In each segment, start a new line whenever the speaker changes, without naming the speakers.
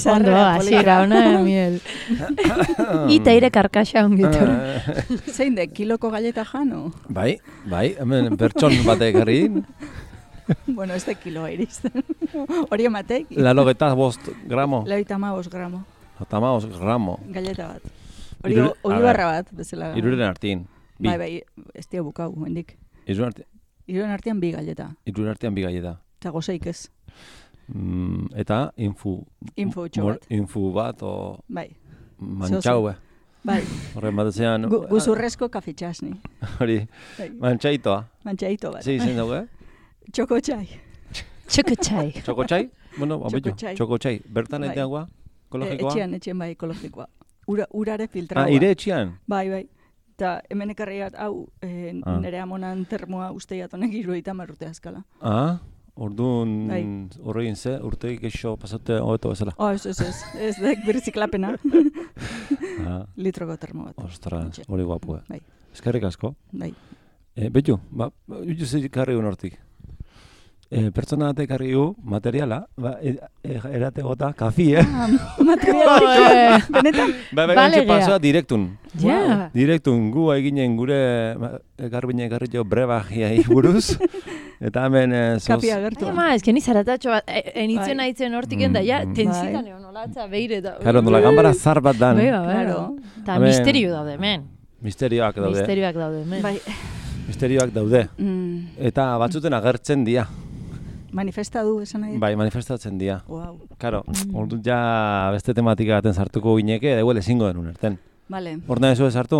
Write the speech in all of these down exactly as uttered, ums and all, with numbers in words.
Ondo, hasiera ona, miel. Ita ire karkaxa ongitor.
Zein de, kiloko galleta jano?
Bai, bai, hemen pertson batek herrin.
Bueno, ez de kiloa iristen. Hori ematek?
Lalogeta bost gramo.
Laita amabos gramo.
Atamaos gramo.
Galleta bat. Hori olibarra bat, bezala.
Iruren artin. Bi.
Bai, bai, ez tia bukau, hendik.
Iruren artin.
Iruren artean bi galleta.
Iruren artean bi galleta.
Eta gozeik ez.
Mm, eta infu.
Info utxo bat.
Infu bat, o...
Bai.
Mantxau, eh?
Bai.
Horren bat ezean...
Gu, guzurrezko kafetxasni.
Hori,
bai.
Mantxaitoa.
Mantxaito bat.
Zi, zein dugu, eh?
Txoko txai.
Txoko txai.
Txoko txai? Bueno, abitu.
Txoko txai.
Txoko txai. Bertan bai. Eteagoa? Ekologikoa?
Etxean, etxean bai, ekologikoa. Ura, urare filtraua.
Ah, ire etxean?
Bai, bai. Eta hemen ekarriat, hau, eh, ah. nire amonan termoa usteiat honek iruita marrute azkala.
Ah, orduan
bai.
Horregin ze, urteik eixo pasate hobeto bezala.
Oh, ez, ez, ez, ez dek birziklapena.
ah.
Litroko termo bat.
Ostras, hori guapu, eh?
Bai.
Eskerrik asko.
Bai.
Eh, Betu, ba, jutu zik karri hortik. E, pertsona batek harri gu, materiala, ba, e, e, erate gota, kafi, eh?
Ah, materiala, benetan?
Ba, ba, gantxe pasoa direktun.
Ja. Yeah.
Direktun, gu eginen gure garbine garri jo brebagiai buruz. Eta hemen... E,
kapi agertu.
Ai, ma, ezken izaratxo bat, enitzen haitzen hortik enda, ja, tensitan egon, nolatza, beire.
Karo, nola gambara zar bat dan.
Bega, bega. Eta misterio daude, men.
Misterioak daude.
Misterioak daude, men.
Bai.
Misterioak daude.
Mm.
Eta batzuten agertzen dia.
Manifesta du, esan nahi?
Bai, manifestatzen dia.
Wow.
Karo, mm. ordu ja beste tematika baten sartuko gineke, edo ezingo denun erten.
Vale.
Orduan ez sartu?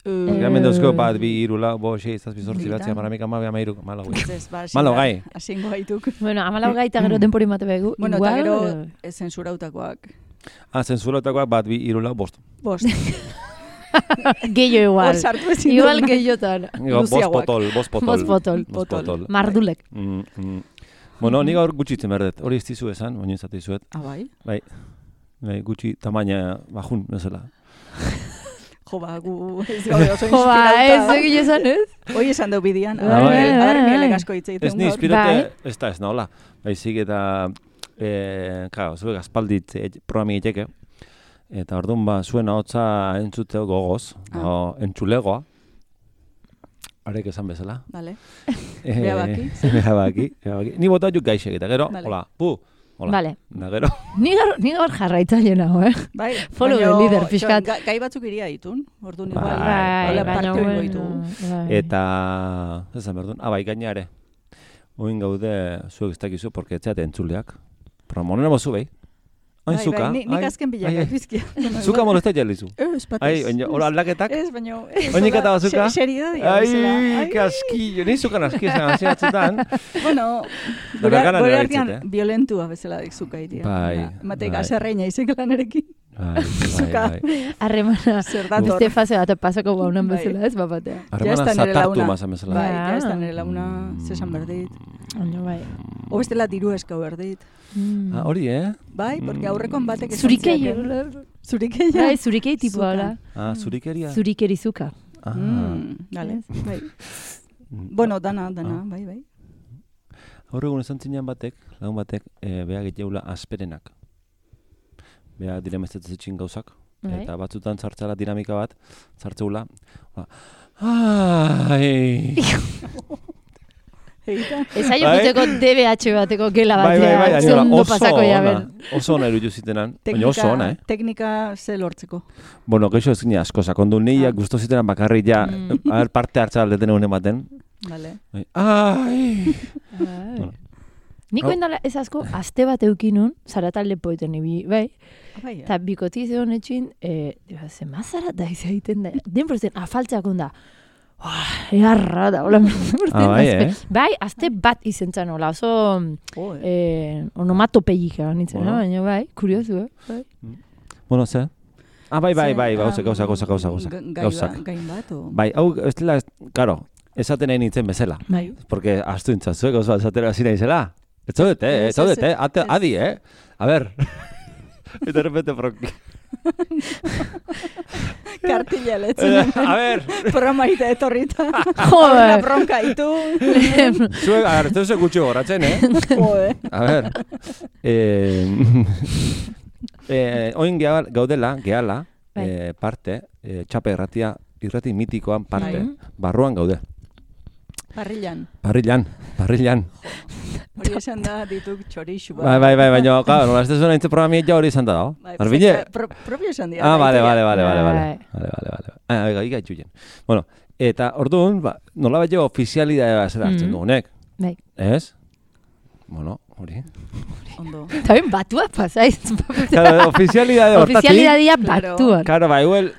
Uh,
Hemen dauzko bat, bi, iru, lau, bo, sei, zazpi, zortzi, batzi, amaramik, amabi, amairu, malau gai. Malau gai.
Asingo gaituk.
Bueno, amalau gai eta gero denpori mate begu.
Bueno, eta gero zensurautakoak.
Ah, zensurautakoak bat, bi, iru, lau, bost.
Bost.
Gehiago igual.
Hor sartu ezin
igual gehiotan.
Bost potol, bost potol.
Bost potol.
Bost potol.
Mardulek.
Mm, mm. Bueno, nik gaur gutxitzen berdet, hori ez dizu esan, baina ez dizuet.
Ah, bai?
Bai, bai, gutxi tamaina bajun, bezala.
Jo, ba, gu ez gaude oso inspirauta.
Jo, ba, ez egin esan ez?
Hoi esan dau bidian,
Ah, bai.
adar mielek asko hitzeiten
Ez ni inspirate, ez da, ez nahola. Baizik eta, eh, karo, zuek aspaldit programi egiteke. Eta orduan ba, zuen ahotsa entzuteo gogoz, ah. entzulegoa. Arek esan bezala.
Vale.
Eh,
Bea baki.
Bea baki. Ni bota juk gaixek eta gero,
vale.
hola, pu. Hola.
Vale.
Na gero.
Ni gaur, ni gaur jarraitzaile nago, eh?
Bai.
Follow the leader, pixkat.
Ga, gai batzuk iria ditun, orduan igual.
Bai,
hola,
bai,
parte
bueno,
oingo ditu.
Eta, esan berdun, ah, bai, gainare. Oin gaude, zuek ez dakizu, porque etxeate entzuleak. Promonen emo zu, bai? Hain
bai,
zuka.
Bai, nik azken bilak bizkia.
Zuka molestat jalizu.
Ez, batez.
Ai, oin, hola aldaketak?
Ez, baina...
Oinik eta bazuka?
Seridadia.
Ai, kaskillo, ni zukan aski esan hasiatzetan.
Bueno, gure artean violentua bezala dik zuka itia.
Bai.
Matek aserreina izek lanerekin.
Bai, bai, bai.
Arremana, beste fase bat pasako baunan bezala ez, bapatea.
Arremana zatartu mazan bezala.
Bai, ja ez da nire launa zesan berdit.
Oino, bai.
O bestela diru eskau berdit.
Mm. Ah, hori, eh?
Bai, porque aurrekon batek esan
Zurikei,
Zurikei,
bai, zurikei tipo ala.
Ah, zurikeria?
Zurikeri zuka.
Ah.
Mm, dale, bai. Bueno, dana, dana, bai, bai.
Horregun esan zinean batek, lagun batek, e, beha giteula asperenak. Beha diremestetzen gauzak.
Bai.
Eta batzutan zartzela dinamika bat, zartzeula. Ai...
Ez aio guteko D B H bateko gela
batea, bai, bai, bai,
ondo pasako jaben.
Oso ona eruditu zitenan, baina oso ona, eh?
Teknika ze lortzeko.
Bueno, geixo ez gine asko, sakondu neiak gusto zitenan bakarri ja, mm. a ver, parte hartza aldeten egun ematen.
Vale.
Ai!
Bueno. Niko endala ez asko, aste bat eukinun, zaratalde poeten ibi, bai? Eta bikotiz egon etxin, zema zarata izaiten da, den prozen, afaltzak onda. Earra da, hola,
ah, bai, eh?
Bai, azte bat izentzan, hola, oso oh, eh, onomatopegika nintzen, bueno. Baina bai, kuriosu, eh? Bai.
Bueno, ze? Ah, bai, bai, bai, gauza, gauza, gauza, gauza, gauza.
Gauzak. Gain bat, o?
Bai, hau, ez dela, karo, esaten nahi nintzen bezala.
Bai.
Porque astu intzatzuek, gauza, esatera zina izela. Ez zaudete, eh? Ez zaudete, eh? Adi, eh? A ver. Eta repente, bronki.
Kartilla letzen.
A ver.
Programa ite etorrita.
Joder.
Bronka itu.
Zuek, a ver, ez gutxi goratzen, eh?
Joder.
A ver. Eh... eh, oin gaudela, gehala, eh, parte, eh, txape irratia, irrati mitikoan parte, barruan gaude.
Parrillan.
Parrillan, parrillan.
Hori esan da dituk txorixu.
Bai, bai, bai, baina, claro, nola ez zuen entze programia ja hori esan da dago. Arbine?
Propio esan dira.
Ah, vale, vale, vale, vale, vale. Vale, vale, vale. Ah, ega, ega itxuien. Bueno, eta orduan, ba, nola bat jo ofizialidadea zera hartzen dugunek.
Bai.
Ez? Bueno, hori.
Ondo.
Eta ben batua pasaiz.
Claro, ofizialidade hortatik.
Ofizialidadia batuan.
Claro, ba, igual,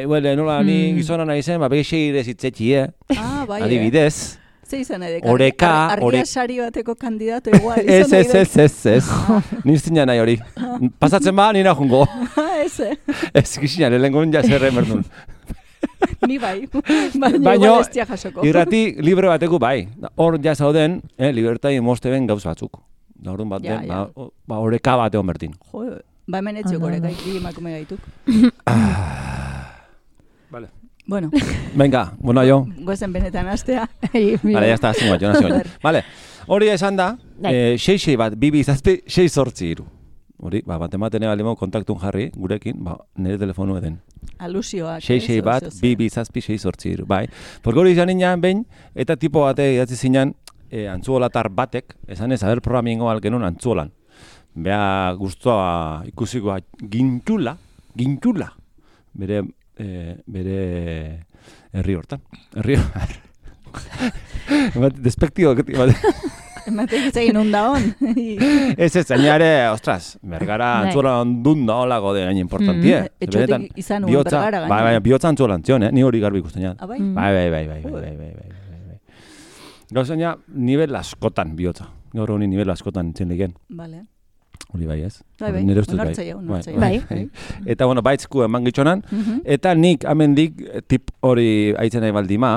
igual, nola ni gizona nahi zen, ba, bege seire zitzetxi, eh?
Ah, bai,
adibidez.
Ze izan edek?
Oreka,
argia sari bateko kandidato igual.
Ez, ez, ez, ez, ez. Niztina nahi hori. Pasatzen ba, nina jungo.
Ez, eh?
Ez, gizina, lehengon ja zerre merdun.
Ni bai, baina igual ez tia jasoko.
Irrati libre bateko bai. Hor ja zauden, eh, libertai moste ben gauz batzuk. Da orduan bat den, ba, ba oreka bat egon bertin.
Jo, ba hemen etziok oreka, ikri emakume gaituk.
Vale.
Bueno.
Venga, bueno, jo.
Goezen benetan astea.
Vale, ya está, zingo, jo, nazio. Vale, hori esan da, sei-sei bat, bibi zazpi, sei sortzi iru. Hori, ba, bat ematen ega limo kontaktun jarri, gurekin, ba, nire telefonu eden.
Alusioak.
sei-sei bat, bibi zazpi, sei sortzi iru, bai. Porque hori izan nian behin, eta tipo bate idatzi zinan, antzuolatar batek, esan ez, aber programingo algenun antzuolan. Bea guztua ikusikoa gintxula, gintxula, bere, bere herri hortan. Herri hortan. Despektibo, bat.
Ematek egin hunda hon.
Ez ez, zainare, ostras, bergara antzuola ondun da holako de gaina importantie.
Etxotik izan uen bergara gaina.
Bai, bai, bihotza antzuola antzion, eh? Ni hori garbi ikusten jat.
Bai?
Bai, bai, bai, bai, bai, bai, bai. Gauzaina, nivel askotan bihotza. Gaur honi nivel askotan entzien liken.
Bale.
Hori bai ez?
Bai, bai, onartzea, onartzea.
Bai.
Eta, bueno, baitzku eman gitzonan, eta nik amendik tip hori aitzen nahi baldima,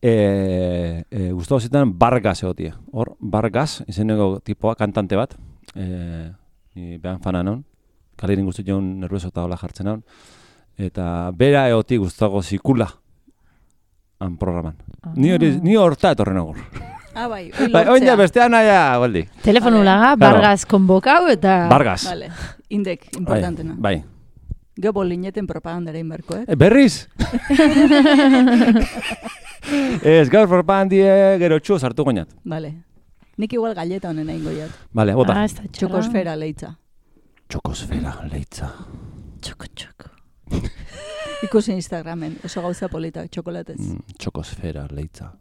E, e, guztu zitan Vargas egotie. Hor, Vargas, izeneko tipoa, kantante bat. E, ni behan fana non. Kalirin guztu joan nervioso eta hola jartzen non. Eta bera egotie guztuago zikula han programan. Ah. Ni hori, ni horta etorren agur.
Ah, bai,
bai, oina bestean aia, baldi.
Telefonu laga, Vargas konbokau eta...
Vargas.
Vale, indek, importantena.
Bai. bai.
Geo bolineten propagandara inberko, eh?
E, berriz? Ez, gaur propagandie gero txu sartu goinat.
Vale. Nik igual galleta honen egin goiat.
Vale, bota.
Ah,
txokosfera leitza.
Txokosfera leitza.
Txoko, txoko.
Ikusi Instagramen, oso gauza polita, txokolatez.
Mm, txokosfera leitza.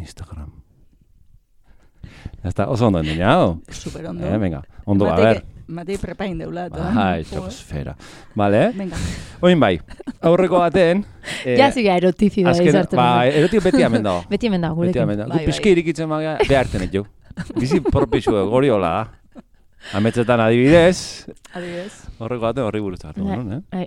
Instagram. Ya está, oso ondo enden, ja?
Super ondo.
Eh, venga, ondo, a ver.
Matei prepain deula.
Bai, txokosfera. Vale, eh?
Venga.
Oin bai, aurreko baten...
Eh, ja ziga erotizida izartzen.
Ba, erotio beti amen dago.
Beti amen dago, gurekin.
Beti amen dago. Gu pizki irikitzen maga, beharten ez jo. Bizi propixu, gori hola da. Ametzetan adibidez.
Adibidez.
Horreko baten horri buruz hartu, no?
Eh?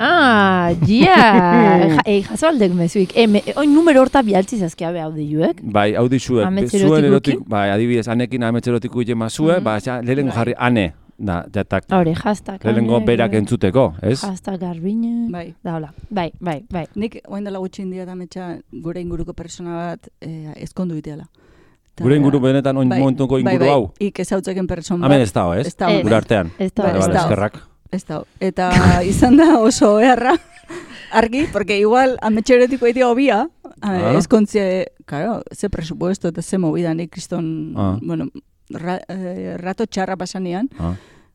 Ah, ja! Ei, jaso aldek mezuik. Oin numero horta bialtzi zazkia be audiuek?
Bai, audizuek. Zuen erotik, bai, adibidez, anekin ametzerotiku itema zue, ba, lehenko jarri, ane. Da, jatak.
Hore, hashtag.
Lehenko berak entzuteko, ez?
Hashtag garbine.
Bai.
Da, hola. Bai, bai, bai.
Nik, oain dela gutxin dira ametsa gure inguruko persona bat ezkondu iteala.
Gure inguru benetan oin momentuko inguru hau?
Bai, ik ezautzeken person bat.
Hemen ez dago, ez? Gure artean.
Ez dago.
Eskerrak.
Ez dago. Eta izan da oso beharra, argi, porque igual ametxeretiko egitea obia, ezkontzie, claro, ze presupuesto eta ze movida nik kriston, bueno, rato txarra pasanean,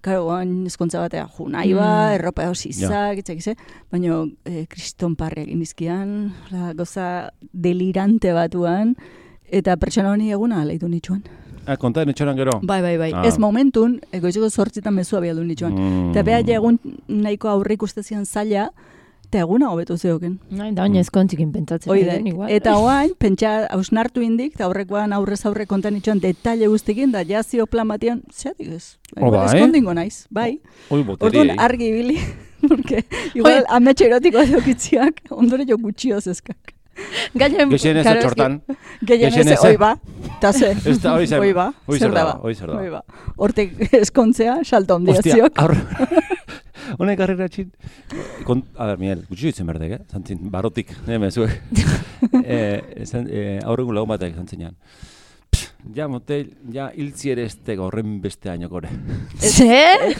claro, guan ezkontza batea, ju nahi ba, erropa hosizak, etxekize, baina kriston parre egin izkian, goza delirante batuan, eta pertsona honi eguna aleitu nitsuan.
Ah, konta nitxoran gero?
Bai, bai, bai. Ah. Ez momentun, egoiziko zortzitan mezua bialdu nitsuan. Mm. Eta beha egun nahiko aurre ikustezian zaila, eta eguna hobetu zeoken.
Nahi, da oinez kontzikin pentsatzen.
Oide, eta oain, pentsa hausnartu indik, eta aurrekoan aurrez aurre konta nitsuan detaile guztikin, da jazio plan batian, zeatik ez.
Bai,
eskondingo naiz, bai.
Oi, boteri.
Orduan argi bili, porque igual ametxe erotiko deokitziak, ondore jo gutxioz eskak.
Gexenez atxortan.
Gexenez, oi ba. Ta ze.
Oi ba. Zer da ba.
Oi ba. Hortek eskontzea, salta ondiaziok.
Hostia, honek harrera txin. A ber, Miguel, gutxi ditzen berdek, eh? Zantzin, barotik, neme, zuek. Aurrengun lagun batek zantzinean. Ja, motel, ja, hiltzi ere ez tega horren beste hainokore.
Zer?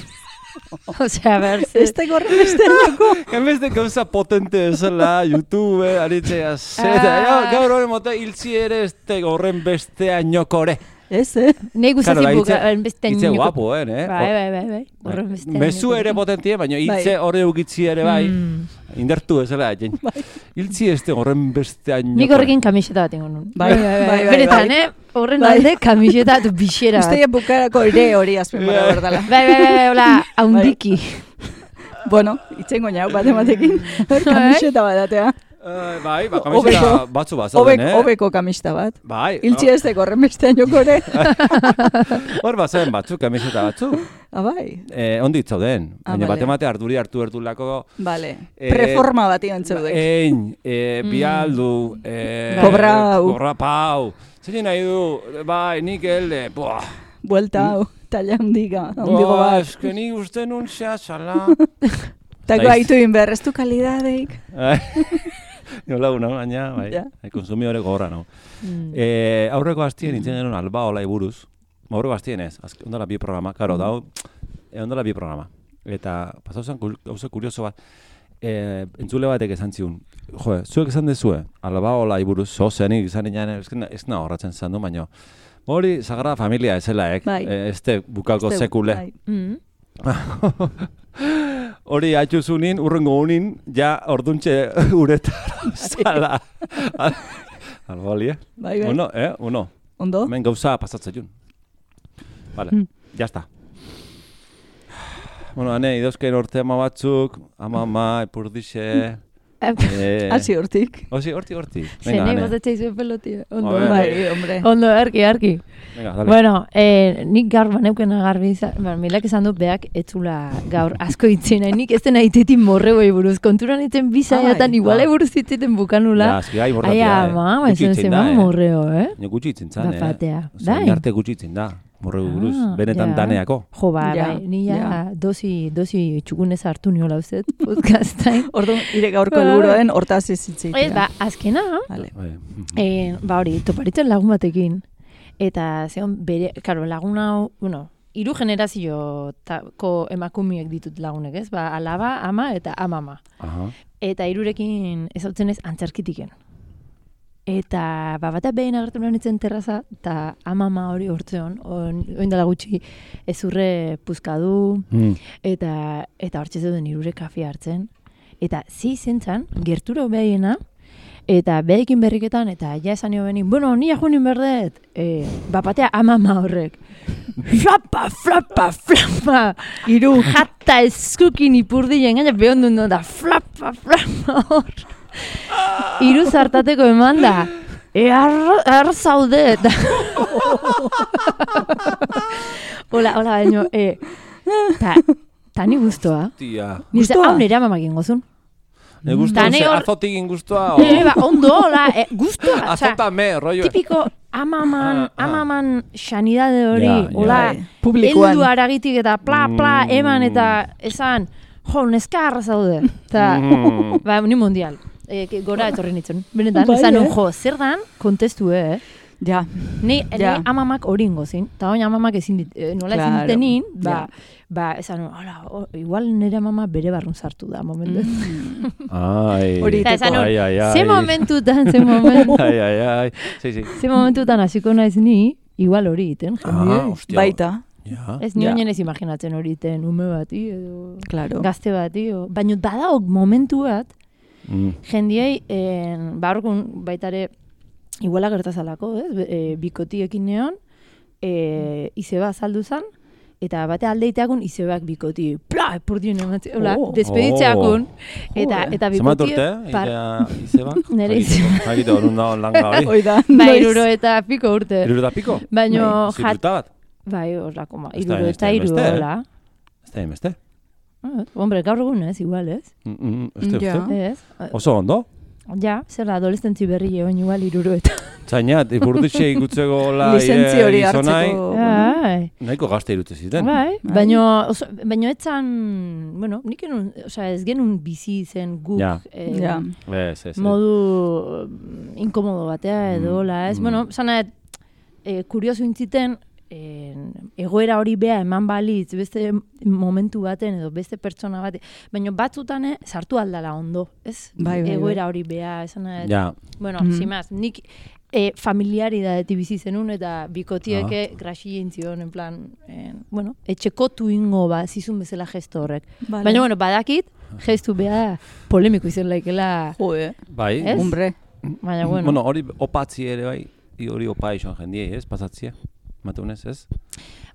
Osea, ber, ze...
Ez teko horrenbestean joko.
Enbeste gauza potente esela, YouTube, aritzea, zeta, gaur horren mota hiltzi ere ez teko horren bestean jokore.
Ez, eh?
Nei gustatzen buka, bestean
joko. Itze guapo, eh?
Bai, bai, bai, bai. Horren bestean joko.
Mezu ere potentie, baina hitze horre ugitzi ere bai. Indertu ezela, jen. Hiltzi ez teko horren bestean jokore.
Nik horrekin kamiseta bat ingon nun.
Bai, bai, bai.
Benetan, eh? Horren alde kamiseta du bixera bat.
Uste bukarako ere hori azpen bara berdala.
Bai, bai, bai, hola, haundiki.
Bueno, itzengo nau bat ematekin. Kamiseta bat atea.
Uh, bai, ba, kamiseta batzu bat zauden, eh?
Obeko kamiseta bat.
Bai.
Hiltzi ez teko horren bestean jokore.
Hor bat zauden batzu, kamiseta batzu.
Ah, bai.
Eh, ondit zauden. Baina bate mate arduri hartu erdulako.
Vale. Preforma bat ion zeudek.
Ein, eh, bialdu, eh,
kobrau.
Kobrapau. Zein nahi du, bai, nik elde, buah.
Buelta hau, talla handiga, handigo bat.
Buah, eske nik uste nun zea txala.
Tako haitu inber, ez du kalidadeik.
Nola una, baina, bai, yeah. Konsumidore gogorra, no. Mm. Eh, aurreko hastien nintzen genuen Albaola buruz. Aurreko hastien ez, ondala bi programa, karo, mm. dau, eh, ondala bi programa. Eta, pasau zen, gauza kurioso bat, eh, entzule batek esan ziun, jo, zuek esan dezue, Albaola buruz, zozenik izan inan, ez na horratzen zan du, baina, hori, Sagrada Familia ezela, ek,
bai.
eh, este bukako este, sekule.
Bai. Mm.
Hori atxuzunin, urrengo unin, ja orduntxe uretara zala. Algo ali, eh?
Bai, bai.
Uno, eh? Uno.
Ondo?
Hemen gauza pasatzen jun. Vale, mm. ya está. Bueno, ane, idozken orte ama batzuk, ama ama, epurdixe...
Hasi hortik.
Hasi hortik, hortik.
Zenei botetxe izuen pelotia. Ondo,
bai, hombre.
Ondo, erki, erki.
Venga, dale.
Bueno, eh, nik gaur baneukena garbi izan, ba, milak esan dut beak etzula gaur asko itzen, nik ez dena itetin morreboi buruz. Konturan iten bizaiatan, iguale buruz itziten bukanula.
Ja, eski gai morratia, eh.
Aia, ma, ma, esan zeman morreo, eh?
Nio gutxi itzen zan, eh?
Bapatea.
Zain arte gutxi itzen da. Morreu buruz, ah, benetan ja. Daneako.
Jo, ba, ja, bai, ni ja, ja. dosi, dosi txugunez hartu niola uzet, podcastain.
Ordu, ire gaurko helburuaren hortaz izitzik.
Ez, ba, azkena,
vale.
eh, ba hori, toparitzen lagun batekin, eta zeon bere, karo, lagun hau, bueno, hiru generazio-ko emakumiek ditut lagunek, ez? Ba, alaba, ama eta amama.
Aha.
Eta hirurekin ezautzen ez antzarkitiken. Eta ba, batak behin agertu nintzen terraza, eta amama hori hortzeon, oindala gutxi ezurre puzkadu, mm. eta eta hortxe zeuden irure kafe hartzen. Eta zi zentzan, gerturo behiena, eta behikin berriketan, eta ja esan nio behin, bueno, nia junin berdet, e, bapatea amama horrek. Flapa, flapa, flapa, iru jata eskukin ipurdien, gaina behon duen da, flapa, flapa hor. Iru zartateko eman da. E, arra zaude. Hola, hola, baino. E, ta, ta ni guztua.
Tia.
Nire hau nire amamak ingozun.
Ne guztua, ze azotik inguztua.
E, ba, ondo, hola, e, guztua.
Azotame, rollo.
Tipiko amaman, ah, ah. amaman sanidade hori.
Ja,
hola,
ja.
Publikoan.
Eldu aragitik eta pla, pla, eman eta esan, jo, neska arra zaude. Ta, mm. ba, ni mundial. E, gora etorri nintzen. Benetan, bai, esan, eh? Jo, zer dan, kontestu, eh?
Ja.
Ni,
ja.
ni amamak hori ingozin, eta hori amamak ezin dit, eh, nola
claro.
ezin ditenin, ba,
ja.
ba, esan, hola, oh, igual nire amama bere barrun sartu da, momentu.
Mm. Ai,
hori
teko.
Ai, ai, ai.
Ze momentutan, ze momentutan.
Ai, ai, ai. Sí, sí.
Ze momentutan hasiko naiz ni, igual hori iten, jende.
Ah, hostia.
Baita.
Ja.
Ez ni oinen ez imaginatzen hori iten, ume bati, edo
claro.
Gazte bati, o. Baina badaok momentu bat,
Mm.
jendiei, eh, barrokun baitare, iguala gertazalako, ez? E, bikotiekin neon, e, izeba azaldu zan, eta bate aldeiteakun izebeak bikoti, pla, epurdien ematzen, hola, oh. despeditzeakun, eta, eta bikotie...
Zemat urte, izeba?
Nere izeba.
Hagite horun da langa hori.
Oida,
ba, iruro eta piko urte.
Iruro eta piko?
Baina,
zirruta bat?
Bai, horrako, ma, iruro eta iru, hola.
Ez da emeste?
Ah, hombre, gaur egun ez, igual ez.
Mm, mm, este,
ja.
Ez.
Oso ondo?
Ja, zer da, adolescentzi berri egon igual iruro eta.
Zainat, ipurditxe ikutzeko la
licentzi hori hartzeko.
Bai.
Nahiko gazte irute ziten.
Bai, baino, oso, baino etzan, bueno, nik enun, osea, ez genuen bizi zen guk
ja.
eh,
ja.
Ez, ez,
modu inkomodo batea edo, mm, ez, mm. bueno, zana, eh, kurioso intziten, egoera hori beha eman balitz, beste momentu baten edo beste pertsona baten, baina batzutan sartu aldala ondo, ez?
Bai, bai,
egoera
bai.
hori beha, esan nahi.
Ja.
Bueno,
Mm.
zimaz, nik e, familiaridadeti bizi zenun eta bikotieke ah. grasien zion, en plan, eh, bueno, etxekotu ingo ba, zizun bezala gesto horrek.
Vale.
Baina, bueno, badakit, gestu beha polemiko izan laikela.
Joe,
Bai.
Ez?
hombre.
Baina, bueno.
Bueno, hori opatzi ere bai, i hori opa izan jendiei, ez, pasatzia, mateunez, ez?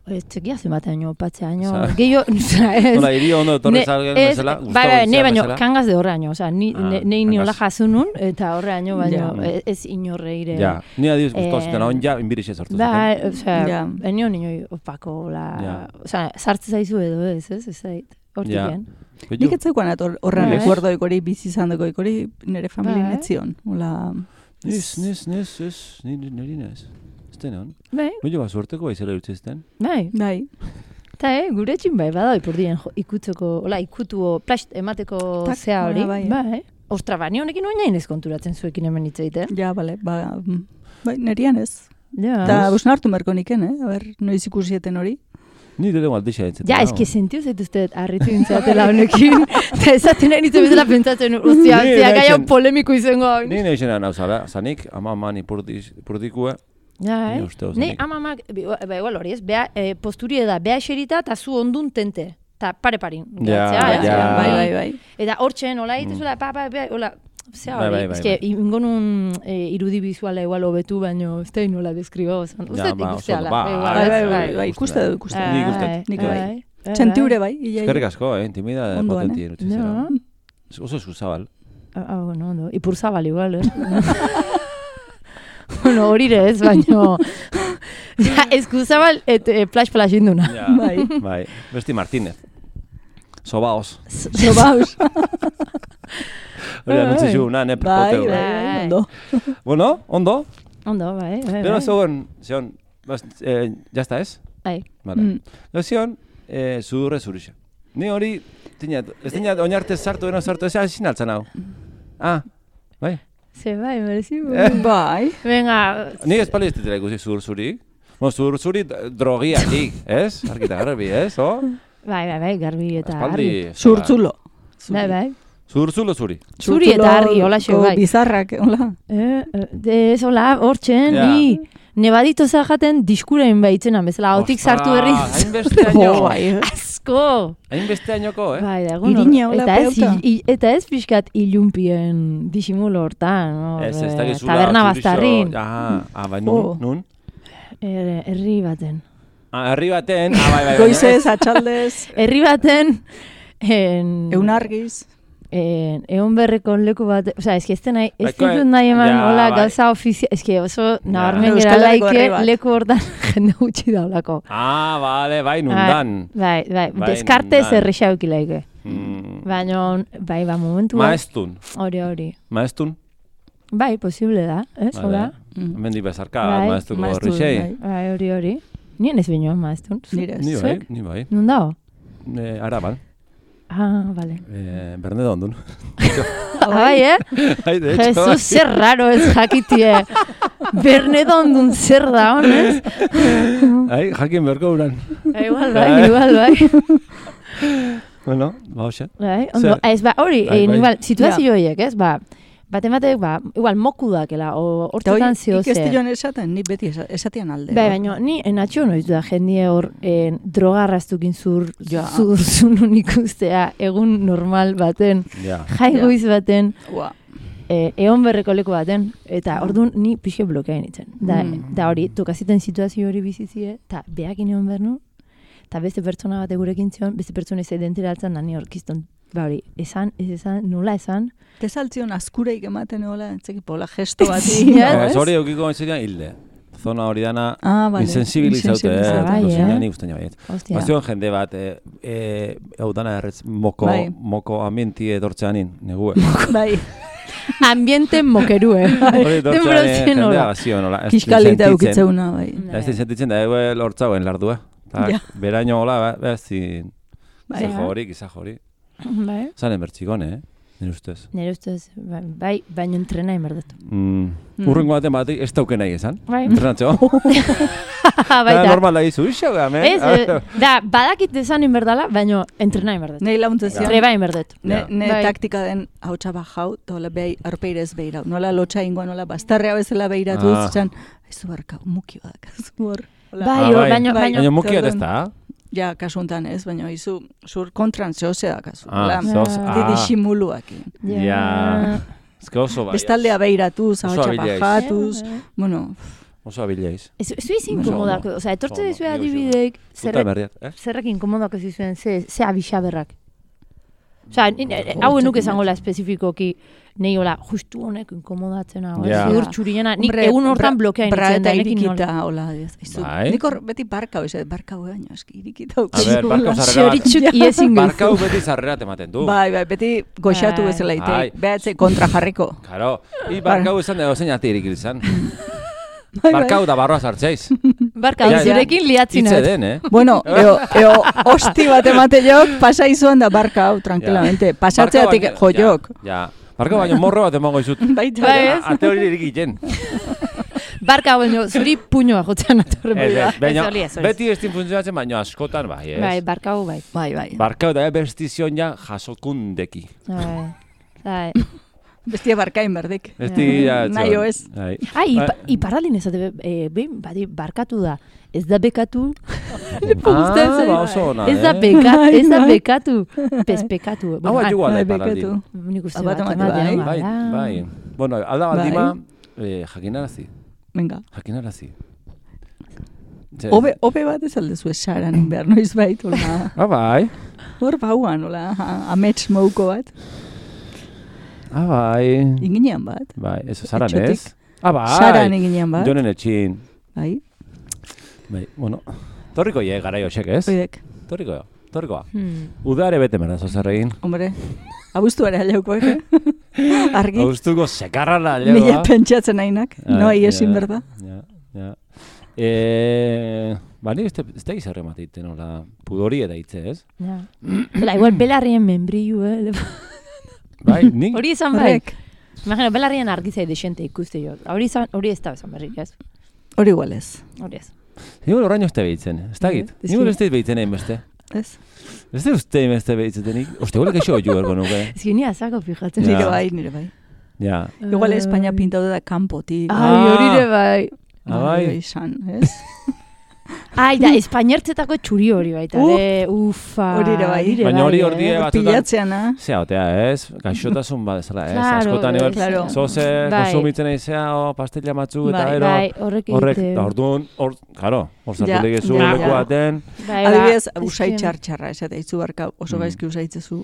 Ez txekia zenbateaino, patzeaino,
Osa,
gehiago, ez.
Nola, irio ondo etorri
Ne-
zalgen
ez,
bezala,
bai, bai, ne baino,
bezala.
kangaz de horreaino, oza, ni,
Ah,
ne, nei niola
kangaz.
jasunun, eta horreaino, baino,
Ja.
ez, ez inorreire.
Ja, ni adiz guztua
Eh,
zuten, hon ja, inbirixe sortu
Bai,
zuten.
osea,
Ja.
enio nioi opako, la,
Ja.
osea, sartze zaizu edo ez, ez, ez zait, hortik
Ja.
gen.
Nik etzeukan ator horren
Bai.
rekuerdoik hori bizi izan dugu, hori nire familia
Bai.
netzion. Hola,
Nis, nis, nis, ez, niri niri nez. Ez den hon?
Bai,
Gure bat suerteko baizela utzizten.
bai.
bai.
Eta, eh, gure etxin bai, badao ipurdien ikutzeko, hola, ikutuo, plast emateko
Tak,
zea hori,
bai, bai.
bai. Ostra, ba, ni honekin oinain ez konturatzen zuekin hemen hitzaiten.
Ja, bale, ba, mm, bai, nerian ez.
Ja,
Eta busna hartu merko niken, eh? A ber, noiz ikusieten hori.
Ni dele maldixa entzeten.
ja, eski sentio zaituzte harritu intzatela honekin. Eta esaten nahi nintzen bezala pentsatzen, ostia,
Ni
ostia, gai hau
naizen-
polemiko izango hau.
Ni nahi zena nauzala, zanik, ama mani purdikue,
Ja,
Ni
eh?
uste oso
Ni
nik.
amamak, ba, igual hori ez, beha, eh, posturie da, beha eserita eta zu ondun tente. Ta pare-parin.
Ja,
Geratzea,
ja.
Bai, bai, bai.
Eta hortzen, hola egitezula, pa, pa, pa, hola, zea
Bai,
hori,
bai, bai,
eske,
bai.
ingonun eh, irudi bizuala igual hobetu, baino ez da nola deskribo, uste
Ja, ba, oso
ikusteala.
ondo, ba,
igual,
Bai,
ez,
bai, bai, bai, ikuste du, ikuste du.
Nik uste.
Nik bai.
bai.
Txentiure bai, ia,
Eskerrik
ia.
asko, eh, intimida
Ondoan,
potenti
eh?
erutzi
Ja.
zera. Oso eskuzabal.
Ah, bueno, ondo. Ipurzabal igual, eh? bueno, horire ez, baino... ja, eskuzabal, et, eh, plash-plash induna.
Ja,
Bai.
bai. Besti Martínez. Sobaos.
Sobaus.
Hori anutzi zu, na, ne
Bai, bai,
prepoteu.
bai, ondo.
Bueno, ondo.
Ondo, bai, bai,
Pero
bai.
zegoen, zegoen, bas, eh, ya está, ez?
Bai.
Vale.
Mm.
Gero zion, eh, sudurre zurixa. Ni hori, tinat, ez tinat oinarte sartu, eno sartu, ez hazin altzan hau. Ah, bai.
Ze bai, merezi.
Eh.
Bai.
Venga,
Ni ez pali ez ditela ikusi sudur zuri. Bueno, sudur zuri drogiatik, ez? Arkita garbi, ez? O?
bai, bai, bai, garbi eta argi.
Aspaldi.
Zurtzulo.
Bai, bai.
Sudur zulo zuri.
Zuri eta argi, hola xe, bai.
Bizarrak, hola.
Eh, eh, de ez, hola, hortzen,
Ja.
ni nebadito zajaten diskurein baitzena, bezala, hautik sartu berri.
Hainbeste
Jo,
año.
bai.
Asko!
Hainbeste añoko, eh?
Bai, da, egun
Irina,
hor-
hola,
eta ez,
peuta.
i- i- eta ez pixkat ilumpien disimulo hortan, hor,
Ez, ez
eh,
dakizula.
taberna
zurixo-
bastarrin,
Ah, ah, bai,
Oh.
nun, nun?
er, herri baten.
Ah, herri baten, ah, bai, bai, bai.
Goizez, atxaldez,
Herri baten, en,
eunargiz.
en, egon berreko leku bat, oza, eski ez nahi, ez
Baiko-
ditut nahi eman,
ja,
hola,
bai.
gauza ofizia, eski oso nabarmen gera
Euskal Herriko
laike
herri bat.
leku hortan jende gutxi daulako.
Ah, bale, bai, nundan.
Bai, bai,
Bai,
deskartez
nundan.
errexau laike.
Mm.
Baina, bai, ba, momentu
Maestun.
hori hori.
Maestun.
Bai, posible da, ez,
Vale.
hola?
Hemendik bezarka,
Bai,
maestuko
maestu,
horrixei.
bai.
Bai, hori hori. Nien ez binoan maestun.
Nire
Ni
ez.
bai,
Zuek?
ni bai.
Nun dago?
Eh, Araban.
Ah, vale.
Eh, Bernedo ondun.
Ah, bai, eh?
Ai, de hecho.
Jesus, zer raro ez jakitie. Bernedo ondun zer da, honez?
Ai, jakin berko uran.
Igual, bai, igual, bai.
Bueno, ba, hoxe.
Bai, ondo,
Zer?
ez, ba, hori,
Bai,
eh,
bai.
igual, situazio horiek, ez, ba, bate batek, ba, igual, moku dakela, o,
Eta hori,
hortetan zio zer.
ikestilloan esaten, ni beti esa- esatian alde.
Bai, baina ni enatxo noiz da jendie hor en, drogarraztukin zur,
Ja.
zur zunun ikustea egun normal baten,
Ja.
jai goiz baten,
Ua.
e, egon berreko leku baten, eta orduan ni pixke blokeain itzen. Da,
Mm.
da hori, tokaziten situazio hori bizizie, eta behakin egon behar nu, eta beste pertsona bat gurekin zion, beste pertsona ez identira altzan, da ni orkizton, ba hori, esan, ez esan, nola esan,
Te saltzion askureik ematen hola, entzekipo, hola gesto bati.
Ja,
Ba,
ez?
ez hori eukiko entzirean hilde. Zona hori dana
Ah, vale.
insensibilizaute, eh?
Insensibilizaute. Bai,
Dozina
eh?
ni guztien baiet.
hostia.
Bazion jende bat, eh, eh, hau dana erretz moko,
Bai.
moko ambienti etortzeanin, negue.
Bai,
Ambiente mokerue.
Hori etortzeanin
Denbora
jendea
nola.
bazion, hola. ez
kiskalita
sentitzen.
eukitzeuna, bai.
Ez din sentitzen da, ego lortzauen lardua. Ta,
Ja.
beraino hola, ba, ez din,
Bai.
ze jori, giza jori.
Bai.
Zanen bertxikone, eh? nire ustez.
Nire ustez, bai, baina entrena inberdetu.
Mm. Mm. Urrengo baten batek ez dauken nahi esan.
Bai.
Entrenatxo. Da, normal da izu, iso game.
Ez, eh, da, badakit esan inberdala, baina entrena inberdetu.
Nei launtzen zion.
Treba inberdetu.
Ne, ne bai. Taktika den hau txabajau, tola behi arpeirez behirau. Nola lotxa ingoa, nola bastarrea bezala behiratuz, ah. Zan, aizu barka, mukio da, kasu hor.
Bai, ah, bai. baina...
Baina mukio da ez da,
ja, kasuntan ez, baina izu, zur kontran zehose da, kasu.
Ah, zehose, ah.
Didi ximuluak.
Ja, ezke oso bai.
Bestaldea behiratuz, hau txabajatuz, bueno...
Oso abilaiz.
Ez izin inkomodako, oza, etortze dizue adibideik, zerrekin inkomodako zizuen, ze abixaberrak. Oza, hau enuk esangola espezifikoki, nahi hola, justu honek inkomodatzen hau, zidur txuriena, nik egun hortan blokea initzen da, nekin nola.
Hola, nik hor beti barkau, ez, barkau baino, eski, irikita.
A ber, barkau zarrera bat. Barkau beti zarrera tematen du.
Bai, bai, beti goxatu bezala ite, behatze kontra jarriko.
Karo, i barkau izan dago zein ati irikil izan. Barkau da barroa sartzeiz.
Barkau, zurekin liatzen.
Itze den, eh?
Bueno, eo, eo, hosti bat emate jok, pasa izuan da barkau, tranquilamente. Pasatzeatik jo jok.
Ja, barkau baino morro bat emango izut.
Baita.
Ate hori irikiten.
Barkau baino, zuri puñoa jotzen atorren bida.
Baina, beti estin funtzionatzen, baino askotan bai, ez?
Bai, barkau bai.
Bai, bai.
Barkau da bestizion ja jasokundeki.
Bai, bai.
Bestia barkain berdek.
Bestia,
nahi oez.
Ai, iparralin ezate, behin, badi, barkatu da. Ez da bekatu.
Ah, ba oso ona, eh?
Ez da bekatu, ez da bekatu. Pezpekatu.
Hau atxugua da iparraldin.
Nik uste bat ematen.
Bai, bai. Bueno, alda baldima, jakinarazi.
Venga.
Jakinarazi.
Obe, obe bat ez aldezu esaran behar noiz bait, hola.
Ah, bai.
Hor bauan, hola, amets mouko bat.
Ah, bai.
Inginean bat.
Bai, ez zaran ez? Ah, bai.
Zaran inginean bat.
Jonen etxin.
Bai.
Bai, bueno. Torriko ye, gara joxek, ez?
Oidek.
Torriko, torrikoa. Hmm. Udare bete merda, zozerregin.
Hombre, abuztu ere aleuko, eh? Argi.
Abuztuko sekarra la aleuko.
Nila pentsatzen nahinak, no ahi esin berda.
Ja, ja. Eh, bani, ez da gizarre mateiten, hola, pudori eta hitze, ez?
Ja. Bela, igual belarrien membrillu, eh?
Bai, nik?
Hori izan barrik. Imagina, belarrien argizai desente ikuste jo. Hori ez da izan barrik, ez?
Hori igual ez.
Hori ez.
Nigo horrein uste behitzen, ez da git? Nigo uste behitzen egin beste.
Ez.
Ez da uste egin beste behitzetenik. Oste, gole keixo jo ergo nuke.
Ez que ni azako fijatzen.
Nire bai, nire bai.
Ja.
Igual Espainia pintatu da kanpotik.
Ai, hori ere bai.
Ah, bai.
Izan, ez?
Ai, da, espainertzetako txuri hori baita, uh, ufa.
Hori ere bai.
Baina hori hor die batzutan...
Pilatzean, ha?
Zea, otea, ez? Gaixotasun bat ezala, ez? Askotan egon,
claro.
zoze, konsumitzen eizea, o, pastilla matzu, eta ero...
Bai, horrek egite.
Horrek, da, orduan, hor, karo, hor zartutek ezu, leku baten...
Adibidez, usai txar-txarra, ez eta itzu barka, oso gaizki usaitzezu.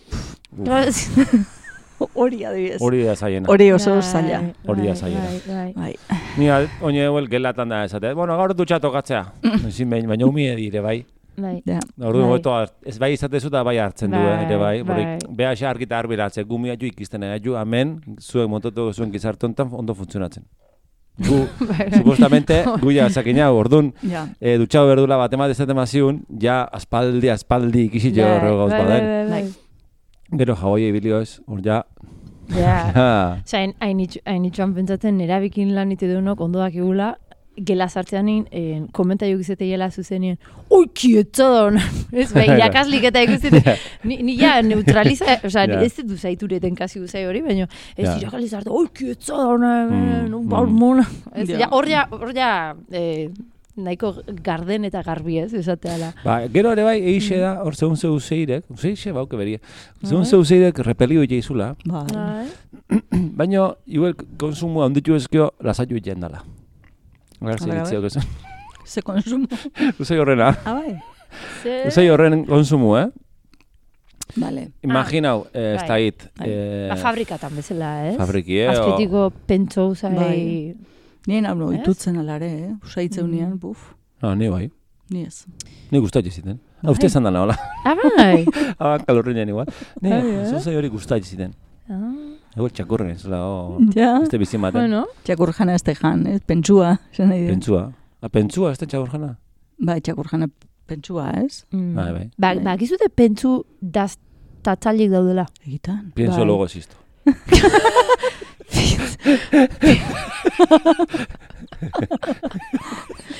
Hori adibidez.
Hori da zaiena.
Hori oso zaila.
Hori da zaiena.
Bai.
Ni oine huel gelatan da esate. Bueno, gaur dutxa tokatzea. Ezin behin, baina umie dire, bai.
Bai.
Orduan goeto, ez bai izatezu da bai hartzen du, ere bai. Borik, beha xa argita arbiratzen, gumia ju ikizten egu, amen, zuen montotu zuen gizarte honetan ondo funtzionatzen. Gu, supostamente, gu ja zakina, orduan, dutxau berdula bat emate zaten maziun, ja aspaldi, aspaldi ikizit jo horrego gauz baden. Gero jaboi ebilio ez, hor ja...
Ja, oza, hain itxuan pentsatzen erabikin lan ite deunok ondoak egula, gela sartzean nien, komentaio gizete gela zuzenien, oi, kietza da hona, ez, bai, irakaslik eta ikustete, ni ja neutraliza, oza, ez du zaituretan kasi guzai hori, baina ez irakaslik zarte, oi, kietza da hona, baur mona, hor ja, nahiko garden eta garbi ez, esateala.
Ba, gero ere bai, eixe da, hor zeun zeu zeirek, zeixe bauke beria, zeun zeu zeirek repelio ite izula, baina, igual, konsumoa onditu ezkio, lasaitu iten dala. Gara ziritzeo kezun.
Ze konsumo?
Uzai horrena.
Ah, bai.
Uzai horren konsumo, eh?
Vale.
Imaginau, ez da hit.
Ba, fabrikatan bezala, ez?
Fabriki, eh?
Azpetiko pentso uzai...
Nien hau no, itutzen alare, eh? Usaitzeu nian, buf.
Ah, ni bai.
Ni ez.
Ni gustatxe ziten. Ah, uste esan dana, hola.
Ah, bai.
Ah, kalorriñan igual. Ni, zuzai hori gustatxe ziten. Ah. Ego txakurren ez, o...
Ja.
Este bizin baten.
Bueno.
Txakurjana ez tejan, ez? Pentsua, esan nahi dira.
Pentsua. Ah, pentsua ez da txakurjana?
Bai, txakurjana pentsua, ez?
Bai, bai.
Ba, ba, gizute pentsu daz tatzalik daudela.
Egitan.
Pienso
Bai.
luego existo.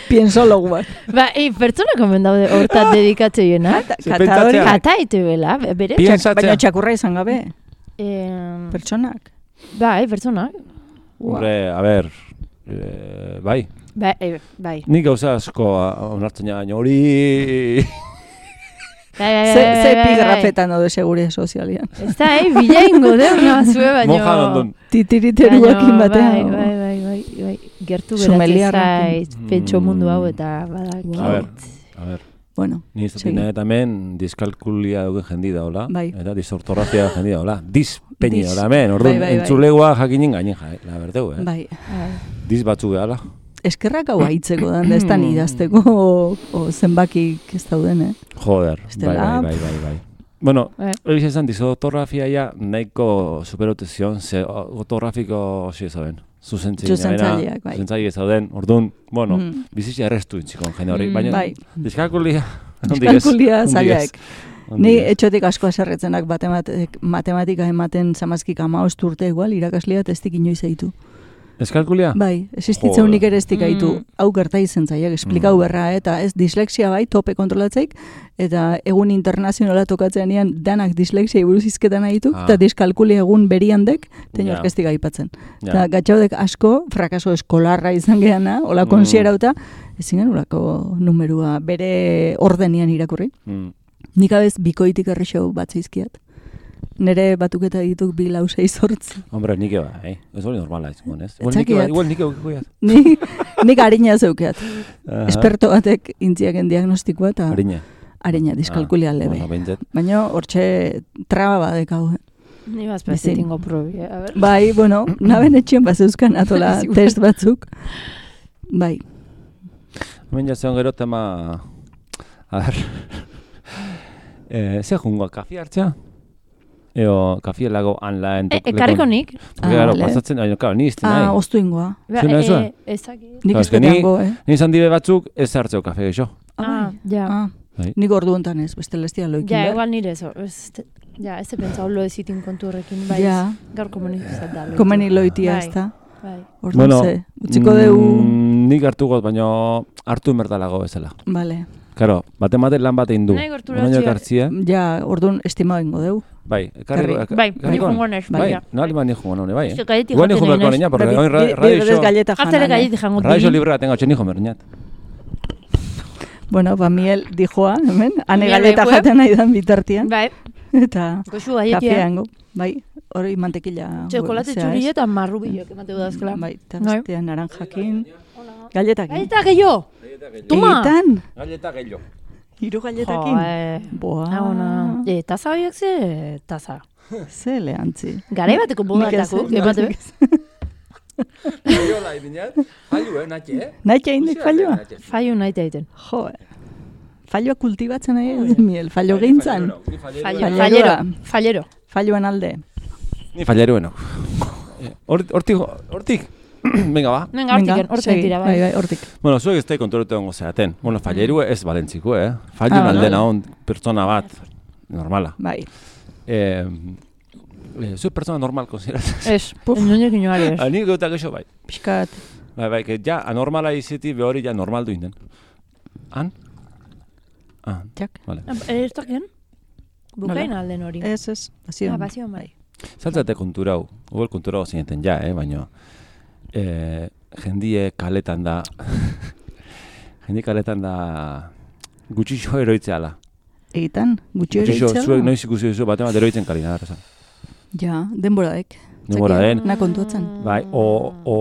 Pienso logu bat.
Ba, ei, pertsona komen daude hortat dedikatzeena.
Kata hori.
Kata ite bela, bere.
Baina txakurra izan gabe.
Eh,
Pertsonak.
bai, pertsonak.
Hombre, a ver, eh, bai.
Ba, eh, bai.
Nik gauza asko onartzen baina hori...
Bai, bai,
Ze,
bai,
ze
bai,
epigrafetan daude segure sozialian.
Ez da, eh, bila ingo deuna zue, baina...
Mojan ondun.
Titiriteruakin batean.
Bai, bai, bai, bai, bai. Gertu
Sumeliarrekin.
beratzen zait, pentso mundu hau eta badakit.
A ver, a ver.
Bueno,
Ni ez dut nahi hemen diskalkulia dugu jendi da, hola?
Bai.
Eta disortografia jendi da, hola? Dispeñi
Dis.
da, hemen, orduan,
Bai, bai, bai.
entzulegoa jakinin gainin ja, la berdeu, eh?
bai.
Diz batzu behala.
Eskerrak hau haitzeko dan, da ez da idazteko o, o zenbakik ez dauden, eh?
Joder, bai,
Estela.
bai, bai, bai, bai. Bueno,
Bai.
hori izan disotografia ja nahiko superote zion, ze ortografiko osi zauden.
Zuzentzaileak, bai.
Zuzentzaileak zauden, orduan, bueno,
Mm.
bizitza errestu intzikon jende hori,
Mm,
baina
bai.
diskalkulia, ondik ez.
Diskalkulia zailaek.
Ondik
Ni
ez.
etxotik asko aserretzenak batematek, matematika ematen zamazkik amaost urte igual, irakaslia testik inoiz eitu.
Eskalkulia?
Bai, existitzen unik ere ez dikaitu,
Mm.
hau gerta izen zaiak, esplikau berra, eta ez dislexia bai, tope kontrolatzeik, eta egun internazionala tokatzean ean danak dislexia buruz izketan nahitu,
Ah.
eta diskalkulia egun beriandek, tein
Ja.
orkestik aipatzen.
Ja.
Eta gatxaudek asko, frakaso eskolarra izan geana, hola
Mm.
konsiderauta, ezin genulako numerua bere ordenian irakurri.
Mm.
Nik abez bikoitik errexo bat zeizkiat. Nere batuketa dituk bi lau sei zortzi.
Hombre, nik eba, eh? Ez hori normala izan, ez? Igual nik
Etzakiat.
eba, igual nik eba,
Nik, nik harina zeukeat.
Aha.
Esperto batek intziaken diagnostikoa eta
Harina.
harina diskalkulia
Ah,
lebe.
bueno, behintzat.
Baina hortxe traba badekau. eh.
Ni
Bizin.
bazpezitingo probi, eh? A ver.
Bai, bueno, naben etxien bazeuzkan atola
Zigur.
test batzuk. Bai,
Hemen jatzen gero tema... A ver... eh, Zer jungoa, kafi hartzea? Eo, kafi lago anlaen...
E, ekarriko nik.
Porque, claro,
Ah, vale.
pasatzen, baina, claro, ni izten
ah,
nahi.
oztu ingoa.
Ba,
Zuen ez da?
eh, ezakit.
Nik
Claro,
ez
es que ni-
deteango, eh?
Ni izan dibe batzuk ez hartzeo kafe geixo.
Ah, ja.
Ah,
Bai.
nik ordu hontan ez, beste lestia loikin
Ja,
behar.
igual nire eso. Ez, ja, ez pentsau lo ezitin kontu horrekin, bai.
Ja.
Gaur komunikazat da. loitu.
Komeni loitia
Bai.
ez da.
Bai.
Orduan ze, utziko deu...
mm, nik hartu got, baina hartu mertalago bezala.
Vale.
Karo, bate mate lan bat egin du.
Nahi gortura
Oraino
txia-
ekartzia.
Ja, orduan estima ingo deu.
Bai, ekarri...
Karri.
Bai, ni jungo naiz,
Bai,
bai, ja.
nali ba ni jungo none, bai, eh?
Ze galleti
Igual ni
jaten
jungo berko
nahi
niña, porque
Bi-
gaur
bi-
radio
bidez
show...
galleta
Hartzere
janan, eh?
galleti jango
Radio show
dini.
libre tengo txen hijo merniat.
Bueno, ba, miel dijoa, hemen, ane
Miel
galeta
lekue.
jaten nahi dan bitartian.
Bai,
Eta
goxu galletia.
kafeango, bai, hori mantekila.
Txokolate
zea, ez?
txuri eta marrubilok emateu dazkela.
Bai, eta
Bai.
bestean naranjakin. Galletakin.
Galleta gehiago! Toma!
Egitan,
Galleta gehiago.
hiru galletakin.
Jo, eh.
Boa.
Ah, ona. E, taza horiek ze, taza.
Ze lehantzi.
Garai bateko bodatako,
Nik ez,
emate
nik
be?
Gaiola ibineat, fallu, eh, natxe, eh?
Nahi indik falloa?
Fallo nahi egiten.
Jo, falloa kultibatzen nahi ez miel, fallo gintzan.
Fallo,
Fallerua.
fallero, fallero.
Falloan alde.
Ni fallerueno. Hortik, hortik. Venga, ba.
Venga, hortiken, hortiken
segi.
tira,
Bai,
bai.
bai, hortik.
Bueno, zuek ez da kontrolatu ongo zeaten. Bueno, fallerue ez balentziko, eh? Fallu
Ah,
alde
vale.
naon pertsona bat, normala.
Bai.
Eh, eh, zuek pertsona normal konsideratzen.
Ez, inoiek inoari ez.
Ani gauta geixo bai.
Piskat.
Bai, bai, que ja anormala izeti behori ja normal duinen. Han? Ah,
Jak.
vale.
Ez dakien? Bukain alden hori.
Ez, ez, bazio.
Ah, bazio, bai.
Zaltzate konturau, huel konturau zineten ja, eh, baina eh, jendie kaletan da, jendie kaletan da gutxixo eroitzeala.
Egitan, gutxi hori
Gutxixo,
itxea.
zuek noiz ikusi duzu bate bat eroitzen kali nada, esan.
Ja, denboraek.
Denbora
Zaki,
den.
Na kontuatzen.
Bai, o, o,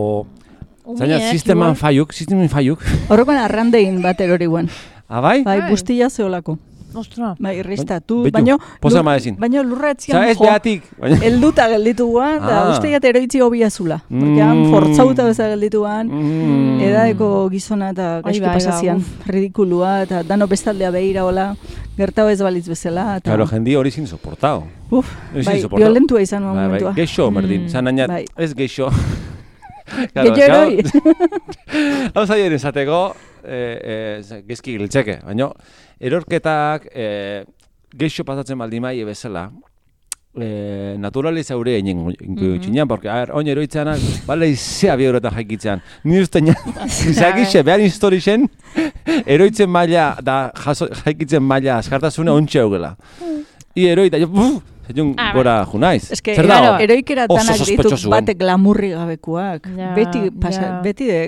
zaina,
Umiek,
sisteman
igual.
faiuk, sisteman faiuk.
Horrokan arrandein bat erori guen.
Ah, bai?
Bai,
Bai.
bustilla zeolako.
Ostra.
Bai, irristatu.
Beitu,
Baina,
poza
lur-
ma ezin.
baina lurra etzian
Osa, ez
jo.
behatik. Baina...
Elduta gelditu guan, eta
Ah.
uste jat eroitzi hobia zula. Porque han
Mm.
fortzauta beza gelditu guan,
Mm.
edaeko gizona eta
Ai,
gaizki
bai,
pasazian,
uf.
ridikulua, eta dano bestaldea behira hola, gertau ez balitz bezala. Eta,
Claro, jendi hori sin soportao.
uf,
Ezin
bai,
soportau.
violentua izan
Bai, bai,
momentua.
geixo, merdin.
Mm.
Zan nainat,
Bai.
ez geixo.
Geixo eroi.
Hau zaien esateko, eh, eh, gezki giltzeke, baina erorketak eh, geixo pasatzen baldimai bezala, eh, naturaliza hori egin txinean, porque, a ver, oin eroitzeanak, bale, izea bi eurotan jaikitzean. Ni uste nien, izakixe, behar historixen, eroitzen maila, da jaikitzen maila, askartasuna ontxe haugela. I eroita, jo, buf, Zaiun ah, gora junaiz.
Ez que, claro, eroikera danak ditu batek glamurri gabekuak. Ja, beti, pasa, ja. beti de...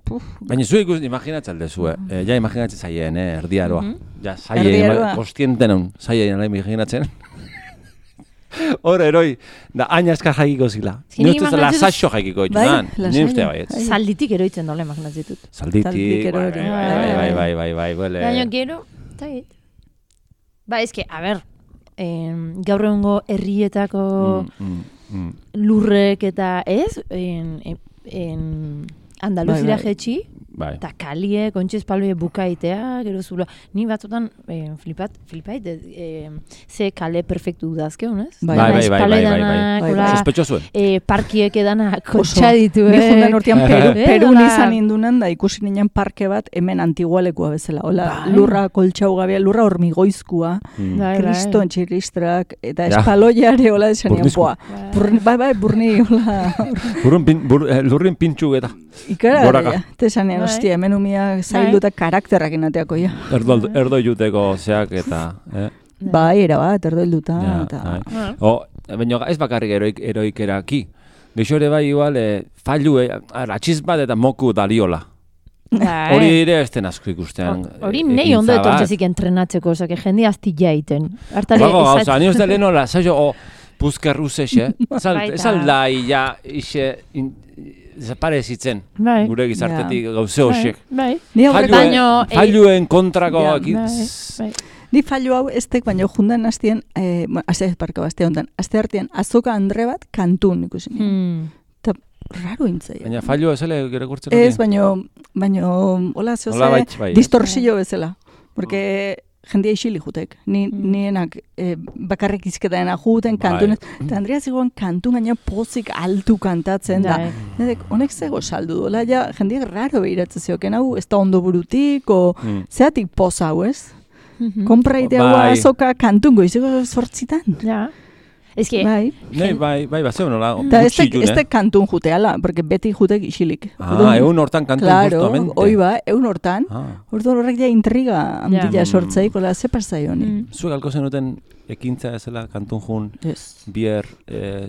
Puf.
Baina zu ikus, imaginatzen aldezu, eh? eh? Ja imaginatzen zaien, eh? Erdiaroa. Mm -hmm. Ja, zaien, kostienten hon, zaien, imaginatzen. Hor, eroi, da aina eskar jaikiko zila. Ni uste zela saixo jaikiko ditunan. Ni uste baiet.
Salditik eroitzen dola, imaginatzen ditut.
Salditik, bai, bai, bai, bai, bai, bai,
baina gero, eta git. Ba, ezke, a ber, eh, gaur egungo herrietako mm, mm, mm. lurrek eta ez, en, en, en Andaluzira jetxi, eta kalie, kontxez paloie bukaitea, gero zula. Ni batzutan, eh, flipat, flipait, eh, ze kale perfektu dudazke, honez?
Bai, bai, bai, bai, bai, bai, bai. Sospetxo zuen.
Eh, parkiek edana kontxa ditu,
eh? Ni jundan urtean Peru, Perun izan indunan, da ikusi ninen parke bat, hemen antigualekua bezala. Hola, lurra koltxau gabea, lurra hormigoizkua, kriston txiristrak, eta espaloiare, hola, desanean, boa. Bai, bai, burni, hola.
Lurrin pintxu eta.
Ikara, tesanean, ostia, hemen umia zailduta karakterrak inateako, ja.
Erdo juteko zeak eta...
Bai, erabat, erdo hilduta.
Baina ez bakarrik eroikeraki. Geixo ere bai, igual, fallu, atxiz bat eta moku daliola. Hori ere ez den asko ikustean.
Hori nahi ondo etortzezik entrenatzeko, oza, que jende azti jaiten.
Bago, gauza, ni uste lehenola, zailo, puzkerruz exe, ez aldai, ja, ixe... desaparezitzen, bai. Gure gizartetik yeah. gauze hoxek.
Bai.
Failuen kontrako yeah,
bai. Ni failu hau ez tek, baina jundan aztien, eh, bueno, azte parko, azte ondan, azte artean, azoka andre bat kantun ikusi nien. Hmm. Eta raro intzai.
Baina failu ezele gire kurtzen hori?
Ez, baina, baina, hola, zehoze, bai, distorsio bezala. Porque... jendia isili jutek. Ni, mm. Nienak eh, bakarrik izketaena juten, kantunez. Eta Andrea zigoan kantun gaina pozik altu kantatzen da. Nedek, honek zego saldu dola, ja, jendiak raro behiratzen zioken hau, ez da ondo burutik, o mm. zeatik poza hau, ez? Mm-hmm. Kompraitea hau azoka kantun goizeko sortzitan.
Ja. Ez que...
Bai, bai, bai, bat zeu nola,
gutxi june. Ez kantun juteala, porque beti jutek isilik.
Ah, egun hortan kantun justamente.
Claro, hoi ba, egun hortan. Hortu horrek ja intriga handila sortzaik, hola, ze pasai honi.
Zuek alko zenuten ekintza ezela kantun jun bier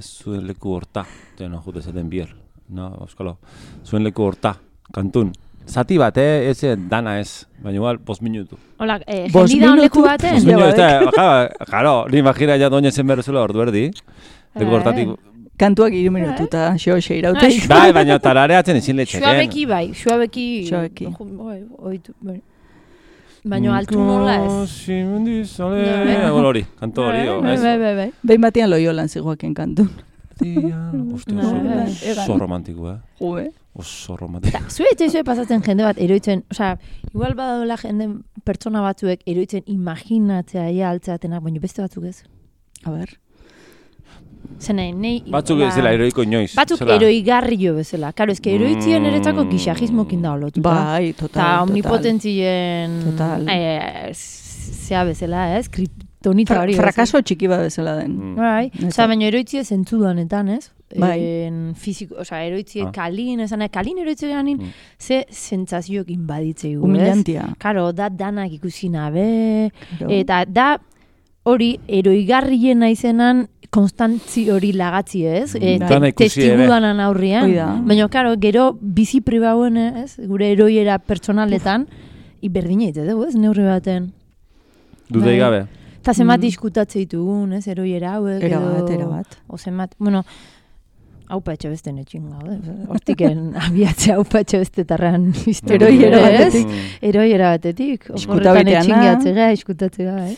zuen leku horta. No, jute zaten bier, no, euskalo. Zuen leku horta, kantun. Zati bat, eh? Ez dana ez, baina igual, bost minutu.
Hola, eh, jendi da leku baten?
Bost minutu, ez jaro, ni imagina ja doña zen berrezula ordu erdi. Leku hortatik...
Kantuak iru minutu eta xo xeirauteik.
Bai, baina tarareatzen ezin letxeken.
Xuabeki bai, xuabeki...
Xuabeki.
Baina altu nola ez.
Hori, kantu hori.
Bai, bai, bai.
Behin batean loiolan zigoaken kantun.
Oso romantiko, eh?
Jue.
Oso romantiko.
Zue eta zue pasatzen jende bat eroitzen, osea, igual badadola jende pertsona batzuek eroitzen imaginatzea ia altzeatenak, baina beste batzuk ez.
A ber.
Zenei, nei...
Batzuk ez dela eroiko inoiz.
Batzuk eroigarri jo bezala. Karo, ez que eroitzien mm. eretako gixajismokin da olotuta.
Bai, total, total.
Ta omnipotentzien...
Total.
Eh, zea bezala, ez? Kriptonita hori.
Frakaso txiki bat bezala den.
Mm. Bai, oza, baina eroitzie zentzudanetan, ez? Bai. En fiziko, oza, eroitzie ah. kalin, esan, kalin eroitzie ganin, mm. ze sentsazioekin baditzei gu, ez?
Humillantia.
Karo, da danak ikusi nabe, eta da hori eroigarrien naizenan konstantzi hori lagatzi, ez? E, te, testigudanan aurrian. Baina, karo, gero bizi pribauen, ez? Gure eroiera pertsonaletan, iberdina ite dugu, ez? Neurri baten.
Dudei gabe.
Eta zemat mm. diskutatze ditugun, ez? Eroiera hauek.
Erabat, erabat.
O zemat, bueno, haupa etxe beste netxin gaude. Hortiken abiatze haupa etxe beste tarran
eroiera batetik.
Eroiera batetik.
Horretan
etxin gehatzea, iskutatzea, eh?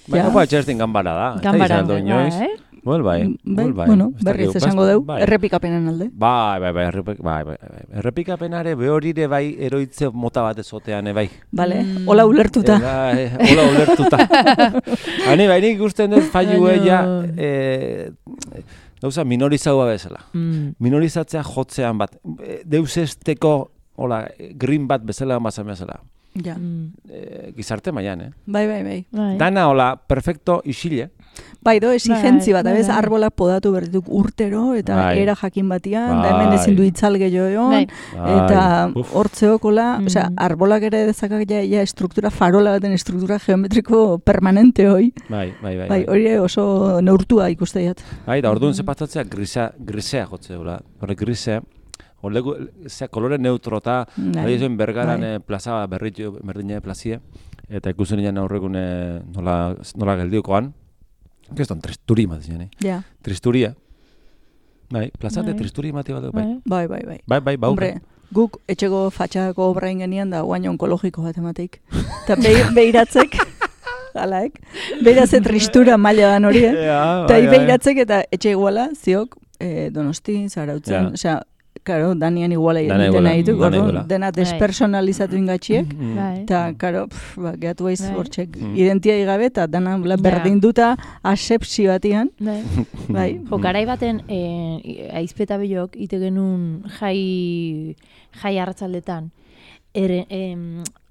Baina haupa etxe ezten ganbara da.
Ganbara da, eh?
Well, bai, well, bai.
Bueno, berriz esango deu, errepikapenen alde.
Bai, bai, bai, errepik, bai, bai, bai. Errepikapenare behorire bai eroitze mota bat ezotean, bai.
Bale, hola ulertuta.
Hola ulertuta. Hani, bai, nik ikusten dut failu ella, gauza, minorizaua bezala. Minorizatzea jotzean bat. Deus esteko, hola, green bat bezala, mazan bezala.
Ja.
E, gizarte mailan, eh?
Bai, bai, bai.
Dana hola, perfecto isile.
Bai, do, exigentzi bat, abez, arbolak podatu berdituk urtero, eta bai. Era jakin batian, bai. Da hemen ezin du itzalge joan, bai. Eta hortzeokola, mm. osea, arbolak ere dezakak ja, ja struktura, farola baten struktura geometriko permanente hoi.
Bai, bai, bai.
Bai, hori oso neurtua ikusteiat.
Bai, da orduan zepatatzea grisa, grisea jotzeula, hori grisea, Olegu, zea, kolore neutro eta bai. Bergaran bai. Plaza berdine plazie, eta ikusen nian aurrekune nola, nola geldiokoan, Keston, tristuri bat zian, eh?
Ja.
Tristuria. Bai, plazate tristuri mati bat, bai.
Bai, bai, bai.
Bai, bai, bai.
Hombre, guk etxeko fatxako obra ingenian da guain onkologiko bat emateik. Eta behiratzek, alaek, behiratzek tristura maila dan hori, eh? Eta behiratzek eta etxe iguala, ziok, eh, Donosti, Zarautzen, osea, Karo, danian iguala egiten nahi du, dena despersonalizatu ingatxiek, eta, karo, ba, gehatu baiz hortxek identiai gabe, eta dana berdinduta asepsi batian. Bai.
Jo, garai baten, aizpeta bilok, ite genuen jai, jai arratzaldetan,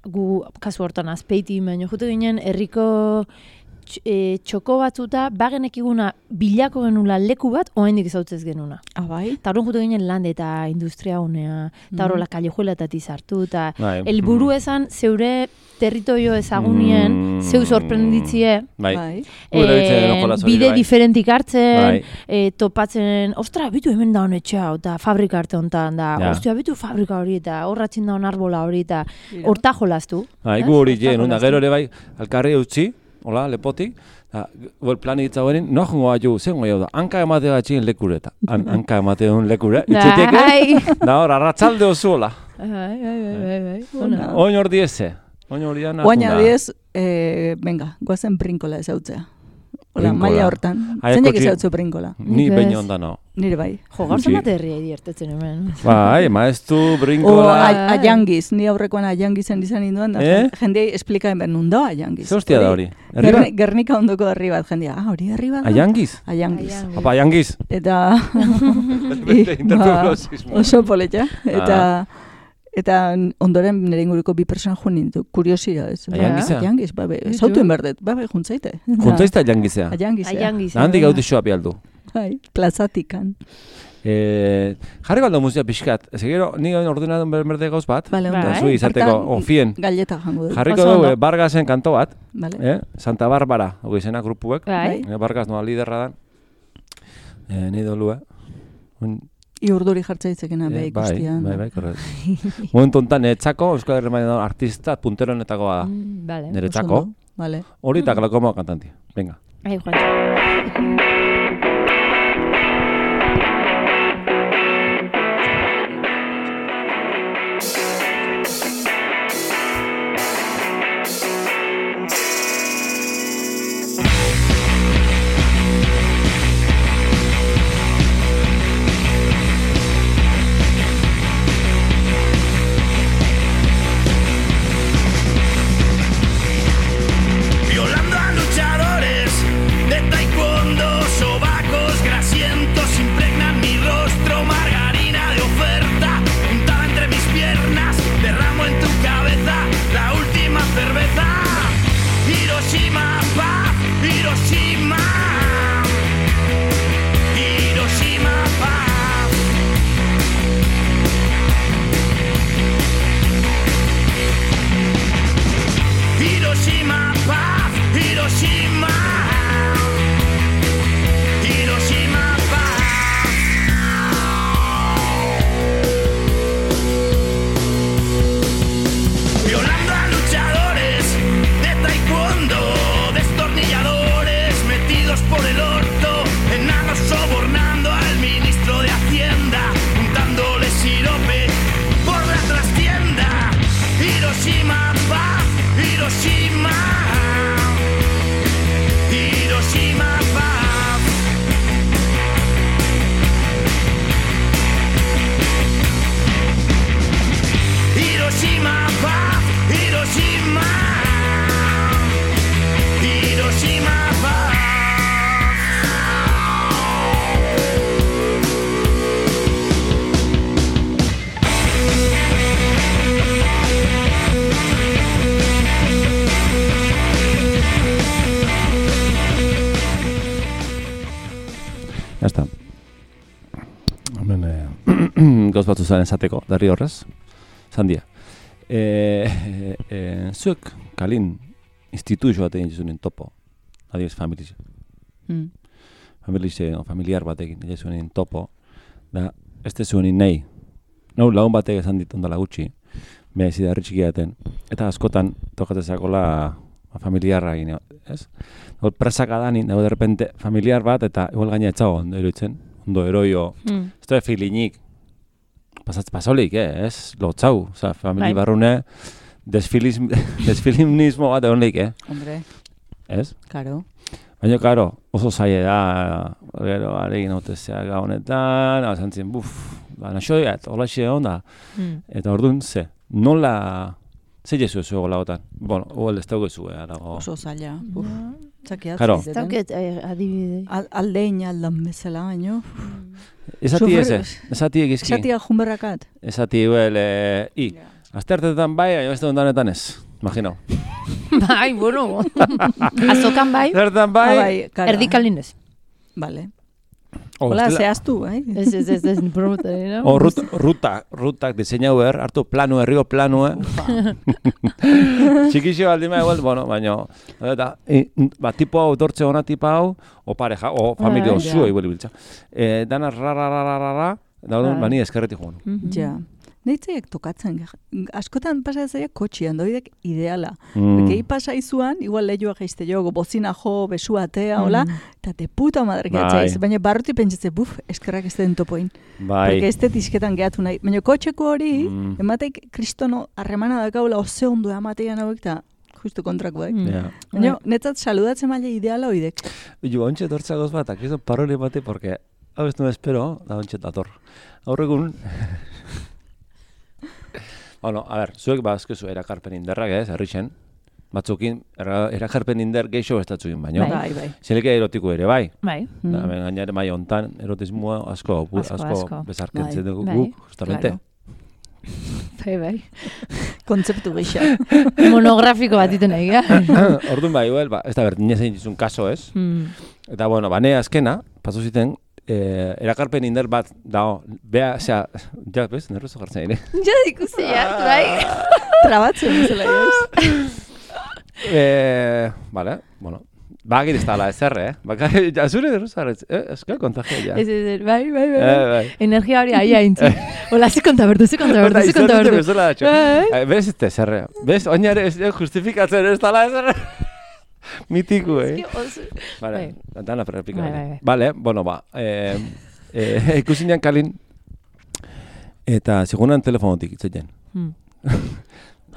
gu, kasu hortan, azpeiti, baina jute ginen, herriko E, txoko batzuta, bagenek iguna bilako genula leku bat, oaindik ezautzez genuna.
Ah, bai?
Eta horren jutu ginen lande eta industria honea, eta horrela mm. kallejuela eta tizartu, eta helburu esan zeure territorio ezagunien, mm. zeu sorprenditzie,
bai.
E, bide diferentik hartzen, bai. E, topatzen, ostra, bitu hemen da honetxea, eta fabrika arte honetan, da, ja. Ostia, bitu fabrika hori, eta horratzen da hon arbola hori, eta horta jolaztu.
Bai, gu hori jen, una gero ere bai, alkarri utzi, hola, lepotik, eta plan hitza horien, no jongo aju, zengo jau da, hanka emate bat txin lekureta. An, hanka emate un lekure, itxeteke, da hor, arratzalde oso, hola.
Bai, bai, bai, bai.
Oin hor diese, oin hor dian.
Oina diez, venga, guazen brinkola ezautzea. Hola, maila hortan. Zeinek ezautzu brinkola?
Ni baino onda no.
Nire bai.
Jo, gaurzen bat herria ediertetzen hemen.
Bai, maeztu brinkola.
O aiangiz, ni aurrekoan aiangizen izan induan da. Eh? Jendei esplikaen behar nun da aiangiz.
Ze hostia da hori?
Gernika ondoko herri bat, jendea. Ah, hori herri bat?
Aiangiz?
Aiangiz.
Apa, aiangiz.
Eta... Oso poletxa. Eta... Eta ondoren nire inguruko bi persona joan nintu, kuriosia ez.
Aiangizea?
Aiangiz, ba, be, zautuen berdet, ba, be, juntzaite.
Juntzaizta aiangizea?
Aiangizea.
Handik gauti xoa bialdu.
Bai, plazatikan.
Eh, jarri baldo musika pixkat, ez gero, nire ordenadun berde gauz bat,
vale,
eta zui izateko, onfien.
Galleta jango dut.
Jarriko dugu, Bargasen kanto bat,
vale.
eh? Santa Barbara, hori izena grupuek,
bai.
eh, Bargas noa liderra da, eh, nire dolu, eh? Un...
I urduri jartzaitzekena beha ikustian.
Bai, bai, bai, korret. Momentu honetan, neretzako, Euskal Herrimainen dago artista punteronetako da.
Mm, vale.
Neretzako.
Vale.
Hori eta Glakomo kantanti. Venga.
Ai, Juan.
Violando a luchadores de taekwondo.
Hemen, eh, gauz batzu zaren zateko, darri horrez, zandia. Eh, eh, zuek, kalin, instituzio bat egin zunen topo, adiez, familiz. Mm. Familiz, no, familiar bat egin zunen topo, da, ez te zuen nahi. No, lagun batek esan dit ondala gutxi, beha izida herri txikiaten, eta askotan tokatzezakola familiarra egin, ez? Hor presaka da, nint, de repente, familiar bat, eta igual gaina etxago, ondo eroitzen, ondo eroio, mm. ez da filinik, pasatz pasolik, eh, ez? Lotzau, oza, famili barrune, desfilimnismo bat egon leik, eh?
Hombre.
Ez?
Karo.
Baina, karo, oso zaila da, gero, aregin hautezea gaonetan, hau zantzien, buf, ba, naxoiat, hola xe onda, mm. eta orduan, ze, nola, ze jesu ez ego lagotan? Bueno, huel ez dauke zu, eh, arago.
Oso zaila, buf, txakiat.
Karo.
Ez dauket adibide.
Aldein aldan bezala, baino.
Esati eze, esati egizki.
Esati ajunberrakat.
Esati, huel, i, aztertetan bai, baina beste ondanetan ez, imagino.
Bai, bueno. Azokan bai.
Zertan bai.
Erdikalinez.
Vale. Hola, zehaztu, bai.
Ez, ez, ez, ez, promota, no?
O, ruta, ruta, rutak diseinau behar, hartu planu, herriko planu, eh? Txikixo aldima egual, bueno, baina, eta, ba, tipo hau, dortze hona tipa hau, o pareja, o familia osu, eguali biltza. Dana, ra, ra, ra, ra, ra, ra, daudun, bani eskerretik joan.
Ja. Neitzaiak tokatzen, askotan pasa ezaiak kotxian, doidek ideala. Mm. Bekei pasa izuan, igual lehioa geizte jo, bozina jo, besu atea, hola, eta te puta madre gehatzaiz. Baina barruti pentsatze, buf, eskerrak ez den topoin. Bai. Porque ez tisketan gehatu nahi. Baina kotxeko hori, mm. emateik kristono harremana dakaula oze ondo amatean hauek, eta justu kontrakoak. Mm. Yeah. Baina, netzat saludatzen maile ideala oidek.
Jo, ontsa dortzagoz bat, akizo paroli bate, porque, hau ez no espero, da ontsa dator. Aurregun, bueno, a ver, zuek bazkezu erakarpen inderrak, ez, herrixen. Batzukin, erakarpen inder geixo estatzukin baino.
Bai, bai.
Zelike erotiko ere, bai.
Bai.
Da, mm. gainare mai hontan, erotismoa asko, asko, asko, asko bezarkentzen dugu bai. Guk, justamente.
Bai, bai.
Kontzeptu geixa.
Monografiko bat iten nahi,
Orduan bai, well, ba, ez da bert, nire zein dizun kaso, ez? Mm. Eta, bueno, bane azkena, pasu ziten, Eh, erakarpen inder bat dao, bea, osea, ja, bez, nerrozo jartzen ere.
Ja, ikusi, ja, bai.
Trabatzen, zela, ez.
Eh, vale, bueno, bagir ez da la ezerre, eh? Baka, ja, zure nerrozo jartzen, eh, ez que kontagia, ja.
Ez, ez, bai, bai, bai.
Eh, bai.
Energia hori aia intzi. Hola, ze kontabertu, ze kontabertu, ze kontabertu.
Bezala, bez ez da ezerre, bez, oinare ez justifikatzen ez da la ezerre. Mitiku, eh? Vale, dana perrepika. Vale, bueno, ba. Eh, eh, ikusinean kalin, eta segunan telefonotik itzetzen. Hmm.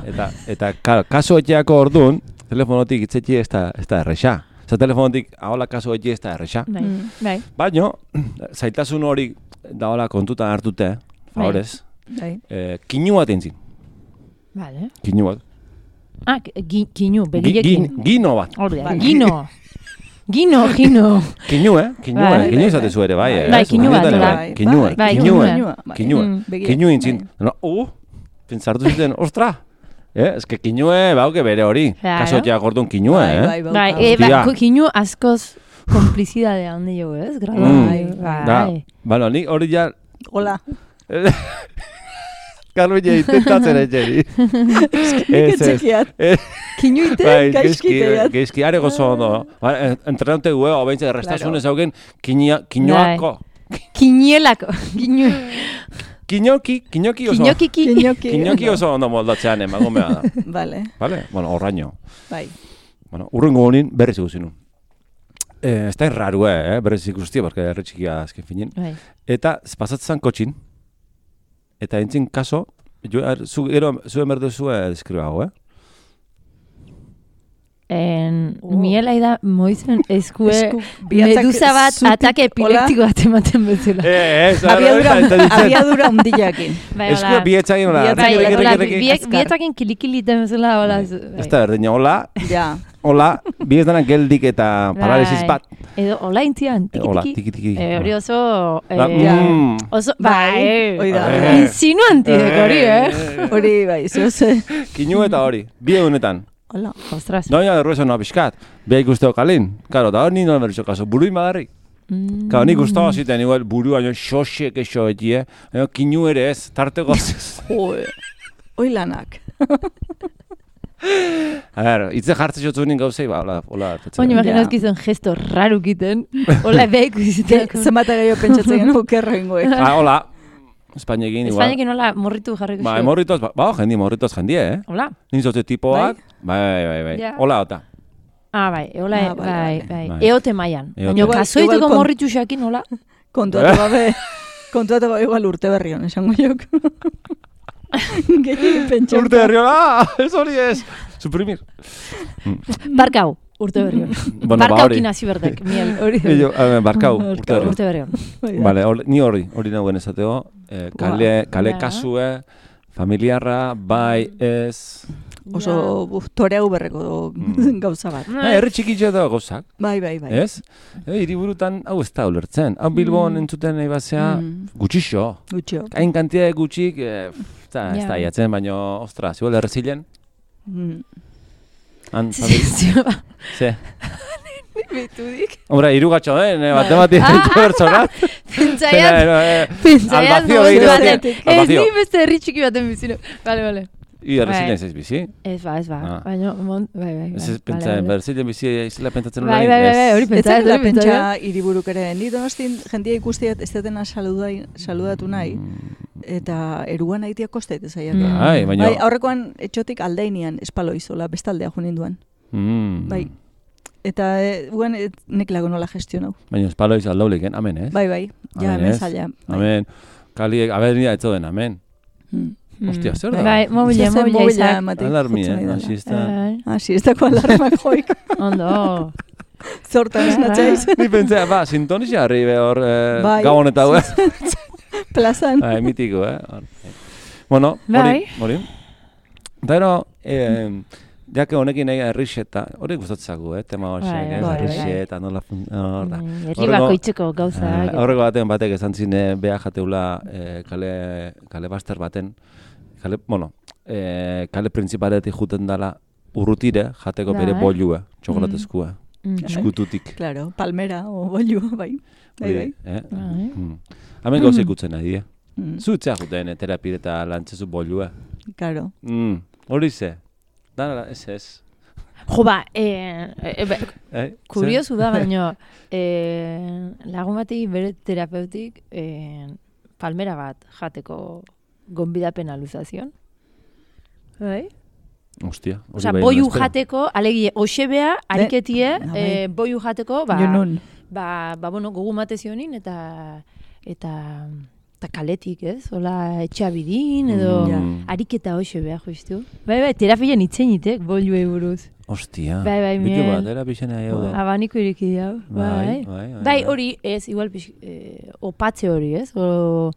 eta, eta kaso etxeako orduan, telefonotik itzetxe ez da, ez da errexa. Zer telefonotik, ahola kaso etxe ez da errexa.
Bai.
Baina, zaitasun hori da hola kontutan hartute, favorez,
bai.
eh, kinu bat entzin.
Vale.
Kinu bat.
Ah, kinu, begilekin.
Gino bat.
Ordea, gino. Gino, gino.
Kinu, eh? Kinu, eh? Kinu izatezu ere, bai, eh?
Bai, kinu bat, bai.
Kinu, eh?
Kinu,
eh? Kinu, eh? Kinu intzin. Uh, pentsartu zuten, ostra. Eh, eske kinu, eh, bauke bere hori. Kasotiak orduan kinu, eh?
Bai, bai, bai. Kinu askoz komplizidadea handi jo, ez? Grado, bai, bai.
Bano, ni hori ja...
Hola.
Carmen ya intentatzen egin.
Ez, ez. Kinu iten, gaizkiteat.
Gaizki, are gozo ondo. Entrenante guego, obeintze, restasunez haugen, kinuako.
Kinielako.
Kinoki, kinoki oso.
Kinokiki.
Kinoki oso ondo moldatzean, emago mea da.
Vale.
Vale? Bueno, horraino.
Bai.
Bueno, urrengo honin berriz ikusinun. Ez da erraru, eh, berriz ikustia, porque erre txikia azken finin. Eta, pasatzen kotxin, eta entzin kaso, jo, er, zu, ero, zuen berdu zuen deskribago, eh?
En, oh. Miela ida moizen eskue medusa bat atake epileptiko bat ematen bezala.
Eh, eh,
abiadura ondillakin.
Eskue bietzakin, hola.
Bietzakin kilikiliten bezala, hola.
Ez da berdina, hola.
Ja.
Hola, biez danak geldik eta paralisis bat.
Edo, hola intzian, tiki-tiki.
Hola, tiki-tiki.
Hori oso... Oso, bai, insinuanti deko hori, eh?
Hori, bai, zoze.
Kinu eta hori, bi egunetan.
Hola, ostras.
Doña de Ruesa no abiskat, beha ikusteo kalin. Karo, da hori nino berrizo kaso, buruin badarrik. Kau, nik gustaba ziten, igual, burua, xoxek eixo etie, kinu ere ez, tarteko zez.
Hoi lanak.
A ver, itze jartze jotzu nin gauzei, ba, hola, hola.
Oin, imaginazkizun gesto raro kiten, hola behiko iziteak.
Zemata gehiago pentsatzen genu kerro ingoek.
Ah, hola. Espainekin, igual.
Espainekin hola morritu jarriko
Ba, morritos, ba, jendi, morritos jendie, eh?
Hola.
Nintzote tipoak, bai, bai, bai, bai. Hola, ota.
Ah, bai, hola,
ah,
bai, bai, bai. Eote maian.
Baina,
kasoituko morritu xakin, hola.
Kontuatu gabe, kontuatu gabe igual urte berrion, esango jok. Gehiagin pentsauta.
Urte berrion, ah, ez hori ez. Suprimir.
Barkau. Urte berrion.
Bueno,
barkau kinasi berdek, miel, hori.
Barkau, urte berrion.
Urte berrion.
Vale, ni hori, hori nagoen esateo. Kale, kale kasue, familiarra, bai, ez...
Oso toreau berreko gauza bat.
Herri txikitxo da gauzak.
Bai, bai, bai.
Ez? Hiriburutan hau ez da ulertzen. Hau Bilbon entzuten nahi bazea, gutxixo.
Gutxio.
Hain kantia gutxik, ez da iatzen, baina, ostra, zibol errezilen? Han,
familia.
Ze.
Bitudik.
Hombre, irugatxo den, matematik ditu bertzonak.
Pentsaiat. Pentsaiat. Ez ni beste herri txiki baten bizino. Bale, bale.
I errezilen ez bizi?
Ez ba, ez ba. Baina, bai, bai.
Ez ez pentsatzen, berrezilen bizi izela pentsatzen
hori. Bai, bai, bai, hori pentsatzen.
Ez ez pentsa hiriburuk ere. Ni donostin jendia ikustiat ez detena saludatu nahi. Eta eruan haitia kostait ez aiak.
Bai, baina...
Aurrekoan etxotik aldeinian espalo izola, bestaldea jo ninduen. Bai. Eta guen nek lago nola gestionau.
Baina espalo izal daulik, amen, ez?
Bai, bai. Ja, hemen zaila.
Amen. Kali, aber nida etzo den, amen. Ostia, zer da?
Bai, mobile, mobile izak.
Alarmi, eh? Asi ez da.
Asi ez dako alarmak joik.
Ondo.
Zortan esnatxaiz.
Ni pentsea, ba, sintonizia harri behor gabon eta hau, eh?
Plazan.
Bai, mitiko, eh? Bueno, hori, hori. Eta ero, jake honekin nahi errixeta, hori gustatzagu, eh? Tema hoxek, eh? Errixeta, nola...
Herri bako itxeko gauza.
Horreko baten batek esan zine beha jateula kale baster baten, kale, bueno, kale principaletik juten dala urrutire jateko bere bolua, txokolatezkua, eskututik.
Claro, palmera o bolua, bai. Bai, bai.
Hemen gauza ikutzen nahi, eh? Zutzea juten terapire eta lantzezu bolua.
Claro.
Hori ze? Dara, ez ez.
Jo, ba, kuriosu da, baina lagun bati bere terapeutik palmera bat jateko gonbidapen aluzazion. Bai?
Ostia.
Osa, boiu jateko, alegie, osebea, ariketie, boiu jateko, ba, ba, bueno, gogu matezionin, eta, eta, eta kaletik, ez? Ola, etxabidin, edo, ariketa osebea, joiztu. Bai, bai, terapien itzenitek, boiu buruz.
Ostia.
Bai, bai, miel.
Bitu bat, terapizena jau da.
Abaniko iriki dau, bai. Bai, hori, ez, igual, opatze hori, ez? O,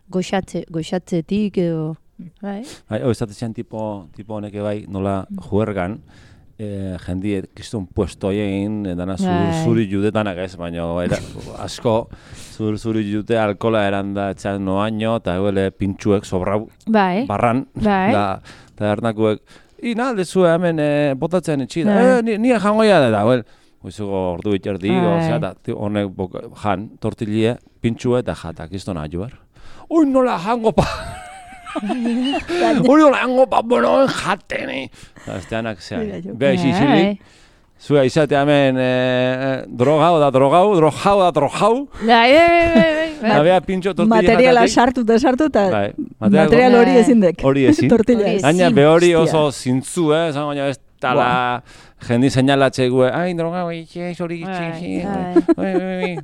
goxatzetik, edo, bai.
Bai, hori, estatzean tipo honeke bai, nola juergan, jendiet, kiston puesto egin, dana zuri judetanak ez, baina asko zuri jute alkola eranda etxan noaino, eta eguele pintxuek sobrau barran, eta ernakuek, i nalde zue hemen botatzen etxida, nire jangoia da, eguel, goizuko ordu bitxerdi, honek jan, tortillie, pintxue eta jata, kiston ajuar. Ui, nola jango pa! Uri hola hango pa, bueno, jateni. Esteanak zean. Beha isi zilik. Zua izate hemen drogau da drogau, drogau da drogau.
Bai, bai, bai.
Beha pintxo tortilla jatatik.
Materiala sartu eta sartu eta material hori ezindek.
Hori ezin. Gaina be hori oso zintzu, eh? Zan baina ez tala jendi seinalatxe gue. Ai, drogau, itxe, hori itxe,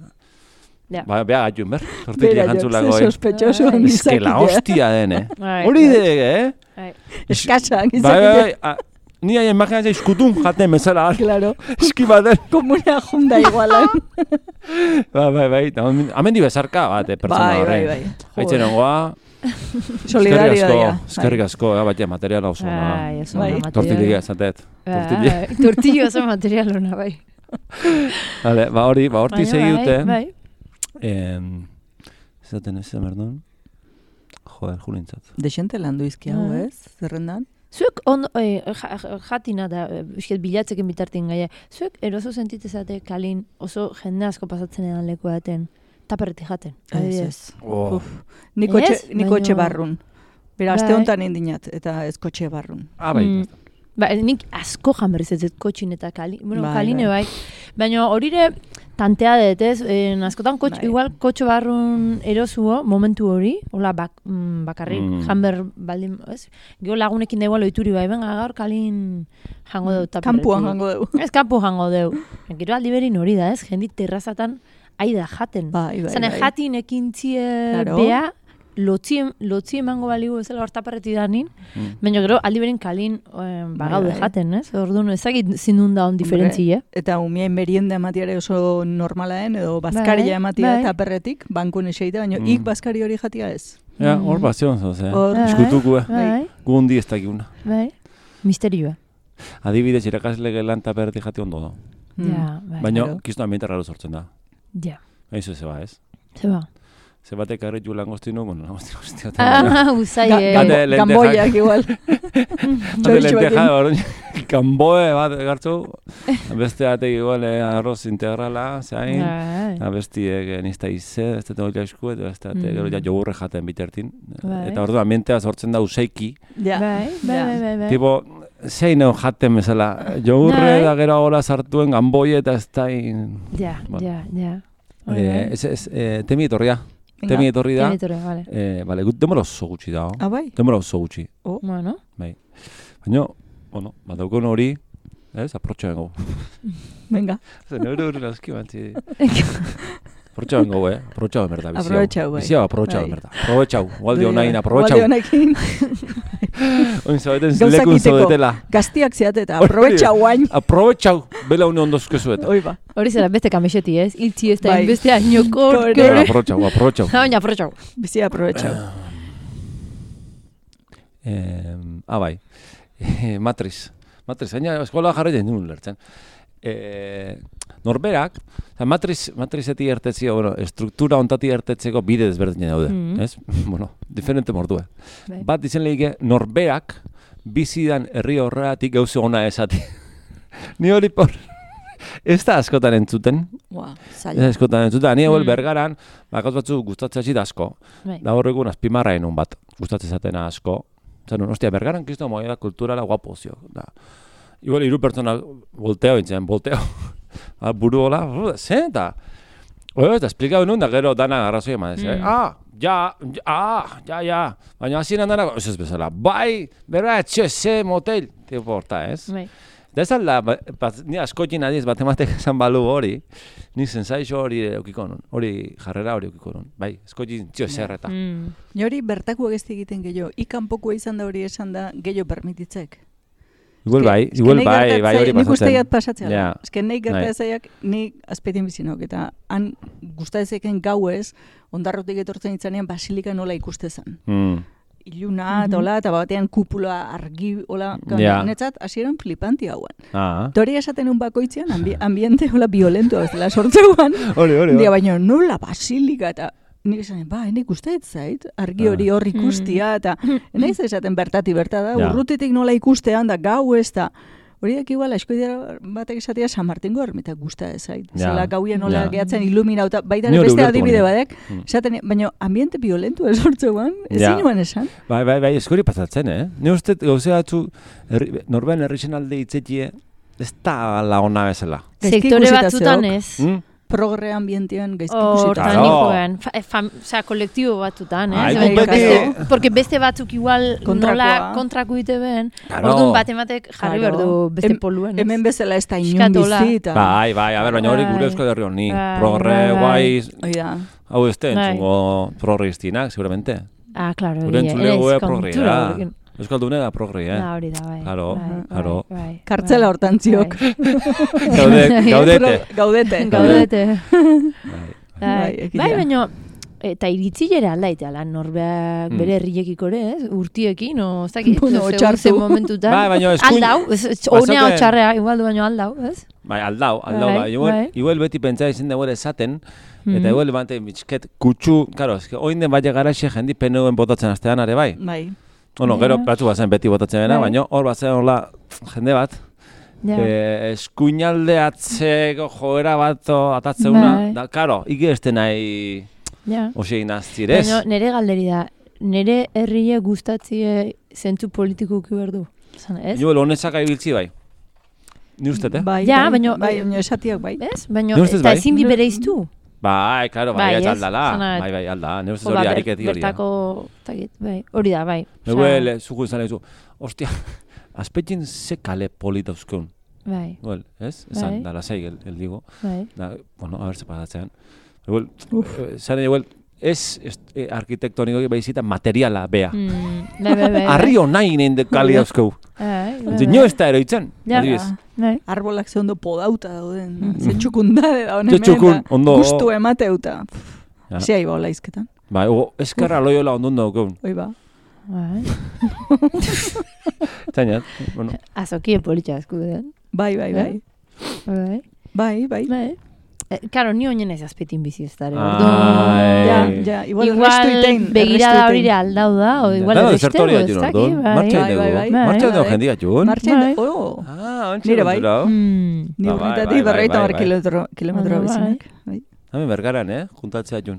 Ba, beha gatxun, ber? Tortilla jantzulako, eh?
Sospechoso.
Ez que la hostia den, eh? Hori dek, eh?
Eskatsa,
gizak. Bai, bai, ni hain imaginatzen izkutun jaten bezala.
Claro.
Eski baten.
Komunea junda igualan.
Bai, bai, bai. Hemen di bezarka bat, pertsona horrein.
Bai, bai, bai.
Haitzen ongoa.
Solidarioa.
Eskerrik asko, batia materiala oso ona.
Bai, oso ona materiala.
Tortilla esatet.
Tortilla oso materiala ona, bai.
Vale, ba hori, ba horti segiute.
Bai,
Zaten ez, merdun? Joder, julintzat.
Dexente landu izki hau, ez? Zerrendan?
Zuek ondo, eh, jatina da, bisket bilatzeken bitartin gaia, zuek eroso sentitezate kalin oso jende asko pasatzen edan leku daten, taperretik jaten.
Ez, ez. Oh. Ni kotxe barrun. Bera, aste honetan indinat, eta ez kotxe barrun.
Ah, bai.
Mm. Ba, nik asko janberriz ez dut kotxin eta kalin, bueno, bai, kaline bai. Baina horire tantea dut, ez? Eh, askotan kotx, bai. Igual kotxe barrun erosuo, momentu hori, hola bak, mm, bakarrik mm. janber baldin, ez? Gio lagunekin da igual oituri bai, benga, gaur kalin jango deu.
Kampuan jango deu.
Ez, kampu jango deu. Gero aldi berin hori da, ez? Jendit terrazatan aida jaten.
Bai, bai,
Zane,
bai.
jatin ekintzie claro. Bea, lotzi, lotzi emango baligu bezala hortaparreti da nin, mm. baina gero aldi berin kalin eh, bagaude bai, bai. Jaten, ez? Orduan, ezagit zindun da on diferentzia.
Eta umien merienda ematiare oso normalaen, edo bazkaria ematia bai. Eta perretik, bankun eseita, baina mm. ik bazkari hori jatia ez.
Ja, hor mm. bazion, zoze. Hor, eskutuku, bai. Gu hundi ez dakiguna.
Bai, misterioa.
Adibidez, irakasle gelan eta perretik jati ondo da.
Mm. Ja, bai.
Baina, kiztu ambiente raro sortzen da.
Ja.
Eizu ze ba, ez?
Ze ba.
Ze batek arretu langostinu, bueno, langostinu guzti bat.
Ah, usai,
eh. Gamboiak igual.
Hade lenteja, hori, gamboe bat gartzu, beste batek igual arroz integrala, zain, bestiek nizta ize, ez dut hori esku, eta beste batek gero ja jogurre jaten bitertin. Eta ordu ambientea sortzen da useiki.
Ja, bai, bai, bai, bai.
Tipo, zein egon jaten bezala, jogurre da gero hola sartuen gamboie eta ez da...
Ja, ja, ja.
Ez, ez, temi etorria. Temi etorri da.
Temi etorri, vale.
Eh, vale, demora oso gutxi da.
Ah, bai?
Demora oso gutxi.
Oh, bueno.
Bai. Baina, bueno, bat daukon hori, ez, aprotxa bengo.
Venga.
Zer, neure hori laski bantzi. Aprotxa bengo, eh? Aprotxa benberda, biziau.
Aprotxa, bai.
Biziau, aprotxa benberda. Aprotxau, gualdi honain, aprotxau.
Gualdi honakin.
Oin zabeten lekun zaudetela.
Gaztiak zeate eta aprobetxau guain.
Aprobetxau, bela une ondozke zueta.
Oi ba.
Hori zera beste kamexeti, ez? Iltzi ez da, beste añokor.
Aprotxau, aprotxau.
Baina aprotxau.
Bizi aprobetxau.
Ah, bai. Matriz. Matriz, baina eskola jarretzen duen lertzen. Norberak, matriz, matrizeti ertetzio, bueno, struktura ontati ertetzeko bide desberdinen daude, mm -hmm. ez? Bueno, diferente mordue. Bai. Bat izen lehike, norberak bizidan herri horreatik gauze ona esati. Ni hori por... Ez da askotan entzuten.
Wow,
ez da askotan entzuten. Ni eguel mm. bergaran, bakauz batzu gustatzea zit asko. Bai. Da horregun azpimarra enun bat, gustatzea zatena asko. Zerun, ostia, bergaran kizto moeda kulturala guapo zio. Da. Igual hiru pertsona volteo intzen, volteo. Buru hola, zen eta... Oio, eta esplikau nun, da gero dana arrazoi eman ez. Mm. Ah, ja, ah, ja, ja. Baina hasieran dana, ez ez bezala, bai, berra, etxe, ze, motel. Tipo horta, ez? Bai. Da ez alda, ni askotin adiz batematek esan balu hori, ni zensaixo hori eukiko nun, hori jarrera hori eukiko nun. Bai, askotin txio zerreta.
Mm. Ni hori bertako egezti egiten gehiago, ikanpokoa izan da hori esan da gehiago permititzek.
Igual bai, igual bai, bai hori pasatzen.
Nik guztiak pasatzea. Yeah. Ez que nahi gertatzaiak nik azpetien bizinok, eta han guztatzeken gauez, ondarrotik etortzen itzanean basilika nola ikustezan. Mm. Iluna, eta hola, eta batean kupula argi, hola, yeah. Netzat, hasieran flipanti hauen. Ah. Tori esaten un bakoitzean, ambi ambiente hola violento, ez dela sortzeuan.
Hori, hori,
hori. Baina nola basilika, eta nik esaten, ba, enik usteet zait, argi hori hor ikustia, eta nahiz esaten bertati bertada, ja. Urrutitik nola ikustean, da gau ez da, horiak igual, eskoidera batek esatea San Martingo ermitak guzta ez zait. Ja. Zela gauien nola ja. Gehatzen iluminauta, baita beste adibide badek, esaten, baina ambiente violentu ez hortzuan, ezin nuen esan.
Bai, bai, bai, eskori pasatzen, eh? Ne uste, gauzea atzu, norbean herrixen alde itzetie, ez da la ona bezala.
Sektore batzutan ez.
Mm?
Progre ambientean gaizki
ikusita. Hortanikoen, osea, kolektibo batzutan, eh? Porque beste batzuk igual nola kontrako ite ben, orduan bat ematek jarri behar du beste poluen.
Hemen bezala ez da inun bizita.
Bai, bai, a ber, baina hori gure euskal herri honi. Progre guai, hau ez den, zungo progre iztinak, seguramente.
Ah, claro,
gure entzulegu progrea. Euskaldune da progre, eh?
Da, hori da, bai.
Claro, claro.
Kartzela hortan ziok.
Gaudete.
Gaudete.
Gaudete. Bai, baina, eta iritzilera aldaite, ala, norbeak bere herriekiko ere, ez? Urtiekin, o, ez dakit, zen momentutan.
Bai, baina eskuin...
Aldau, honea otxarrea, igual du baino aldau, ez?
Bai, aldau, aldau, bai. Igual beti pentsa izin dagoela esaten, eta igual bante mitxket kutsu, karo, oin den bai garaxe jendi peneuen botatzen astean, are bai?
Bai.
Bueno, gero batzu bazen beti botatzen dena, baina hor bazen hola jende bat, eskuinaldeatzeko joera bat atatzeuna, da, karo, ikeste nahi osein aztirez.
Baina nire galderi da, nire herrie gustatzie zentzu politikuki berdu, ez?
Jo, honezak ibiltzi bai. Ni ustet, eh?
Bai,
ja,
bai,
baina...
Bai, baina esatiak bai.
Ez? Baina, eta ezin di bere iztu.
Bai, klaro, bai, ez aldala. Bai, bai, aldala. Neu ez hori hariketi hori da.
Bertako, bai, hori da, bai.
Eguel, zuku izan egizu, ostia, azpetxin ze kale polita uzkeun.
Bai.
Eguel, ez? Esan, dala zei, el digo.
Bai.
Bueno, a ver, se pasatzen. Eguel, zan eguel, ez arkitektoniko behizita materiala, bea.
Bai, bai, bai.
Arrio nahi nein de kali dauzkeu. Nio ez da eroitzen, adibidez.
Arbolak ze ondo podauta dauden, ze txukundade da honen
txukun, ondo...
Gustu emateuta. Zia iba hola izketan.
Bai, eskarra loiola ondun daukeun.
Oi ba.
Bai.
Zainat, bueno.
Azokie politxa eskuden.
Bai, bai, bai.
Bai.
Bai, bai.
Bai. Claro, ni oinen ez azpetin bizi ez dara.
Ja, ja, igual restu itein.
Begirada hori aldau da, o igual erresteu, ez daki.
Martxain dugu. Martxain dugu jendia txun.
Martxain dugu, oh.
Ah, ontsi kontura.
Ni urretatik berreita bar kilometro bizinak.
Hemen bergaran, eh? Juntatzea txun.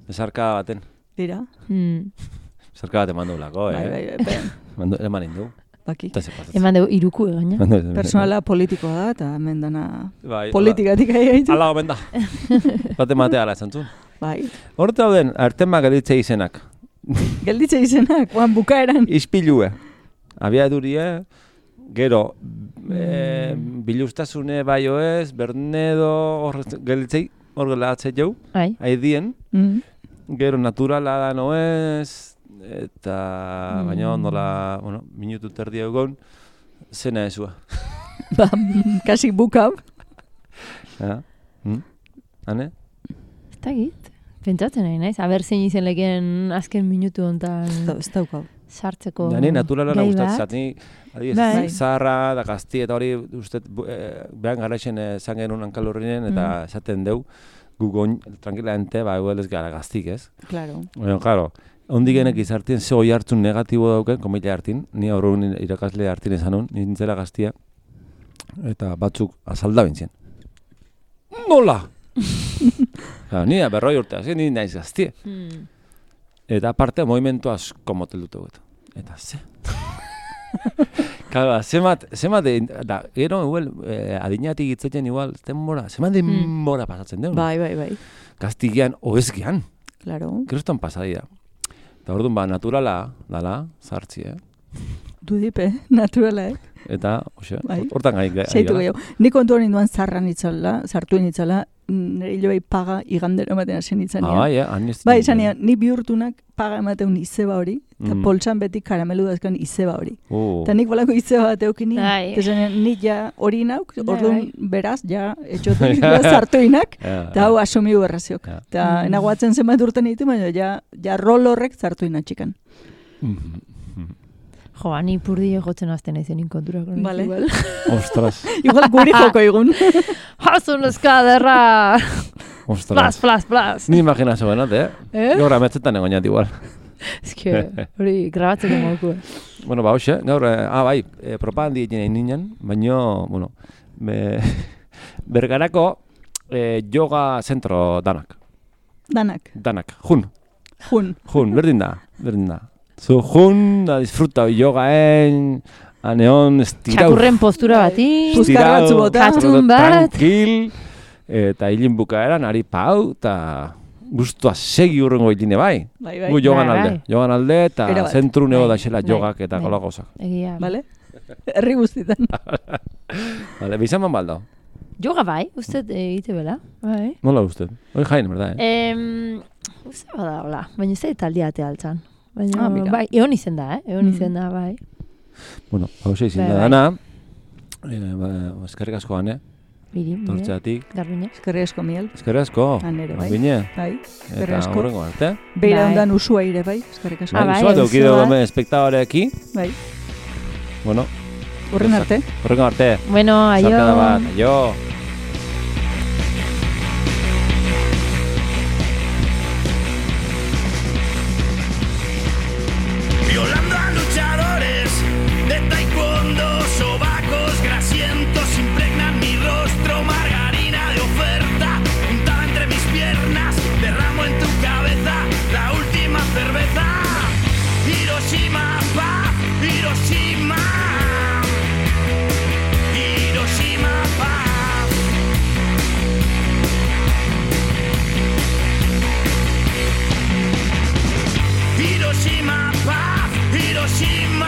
Bezarka baten.
Dira.
Bezarka baten mandu lako, eh?
Bai, bai, bai.
Eman indu.
Baki.
Eman dugu iruku egaina.
Personala politikoa da, eta hemen dana politikatik ahi gaitu.
Ala, omen da. Bate matea ala esan zuen.
Bai.
Horta dauden, artema gelditze izenak.
Gelditze izenak, guan bukaeran.
Ispilue. Abiadurie, gero, biluztasune baio ez, bernedo, gelditzei, hor gelatzei jau, haidien. Gero, naturala da noez, eta baina ondola, bueno, minutu terdi egon, zena ezua.
Ba, kasi bukau.
Ja, hane?
Ez da git, pentsatzen nahi naiz, haber zein izen leken azken minutu ontan...
Ez daukau.
Sartzeko
gai bat. Ni naturalana gustatzat, ni adiez, zaharra da gazti, eta hori uste, behan garaixen zan genuen hankalurrinen, eta esaten deu, gugon, tranquilamente, ba, eguel ez gara gaztik, ez?
Claro.
Bueno, claro, ondigenek izartien ze hoi hartzun negatibo dauken, komila hartin, ni aurrun irakasle hartin esanun, nintzela gaztia, eta batzuk azalda bintzien. Nola! Claro, ni da berroi urte, hasi, ni naiz gaztie. Eta aparte, movimentu asko motel dute guetu. Eta ze? Claro, zemat, zemat, da, gero, igual, adinatik itzatzen igual, denbora, zemat denbora pasatzen deun.
Bai, bai, bai.
Gaztigian, oezgian.
Claro.
Gerostan pasadira. Eta orduan ba, naturala, dala, zartzi, eh?
Dudipe, naturala, eh?
Eta, oxe, hortan gai gara.
Seitu gehiago. Ni kontu hori duan zarran itzala, zartuen itzala, nire hilo bai paga igandero ematen hasen itzanean.
Ah, bai, eh?
Bai, izanean, ni bihurtunak paga emateun izeba hori, eta poltsan beti karamelu dazkan izeba hori. Eta nik bolako izeba bat eukini, eta zanean, nik ja hori nauk, orduan beraz, ja, etxotu zartuinak, eta hau asumiu erraziok. Eta enagoatzen zenbat urten ditu, baina ja rol horrek zartuina txikan.
Jo, ani purdi egotzen azten aizen inkontura.
Vale.
Ostras.
Igual guri joko egun.
Hasun eskaderra!
Ostras.
Plas, plas, plas.
Ni imaginazo benat, eh? Eh? Gaur ametzetan egoinat igual.
Ez que, hori grabatzeko moku.
Bueno, ba, hoxe, gaur, ah, bai, propagandi egin ninen, baina, bueno, bergarako yoga zentro danak.
Danak.
Danak, jun.
Jun.
Jun, berdin da, berdin da. Zu jun, da disfruta yogaen, aneon, estirau.
Txakurren postura bati.
Puskarratzu bota.
Katun bat.
Tranquil. Eta hilin bukaeran, ari pau, eta guztua segi urrengo hiline bai.
Bai, bai.
Gu jogan alde. Jogan alde, eta zentru nego da xela jogak eta gola gozak.
Egia.
Bale? Herri guztitan.
Bale, bizaman baldo.
Yoga bai, usted egite bela. Bai.
Nola usted? Hoi jain, berda, eh?
Uste bada, hola. Baina ez da taldiate altzan. Baina, ah, bai, egon izen da, eh? Egon izen da, bai.
Bueno, hau xe izin da dana. Eskerrik asko gane.
Biri,
tortzeatik.
Garbine.
Eskerrik asko, Miel.
Eskerrik asko.
Anere, bai.
Garbine.
Bai, eskerrik asko.
Eta horrengo arte.
Beira ondan usua ire, bai. Eskerrik asko.
Ah, bai, usua teukido gome espektadoreaki.
Bai.
Bueno.
Horren arte.
Horrengo arte.
Bueno, aio.
Zarkada bat, aio.
Violando Hiroshima paz, Hiroshima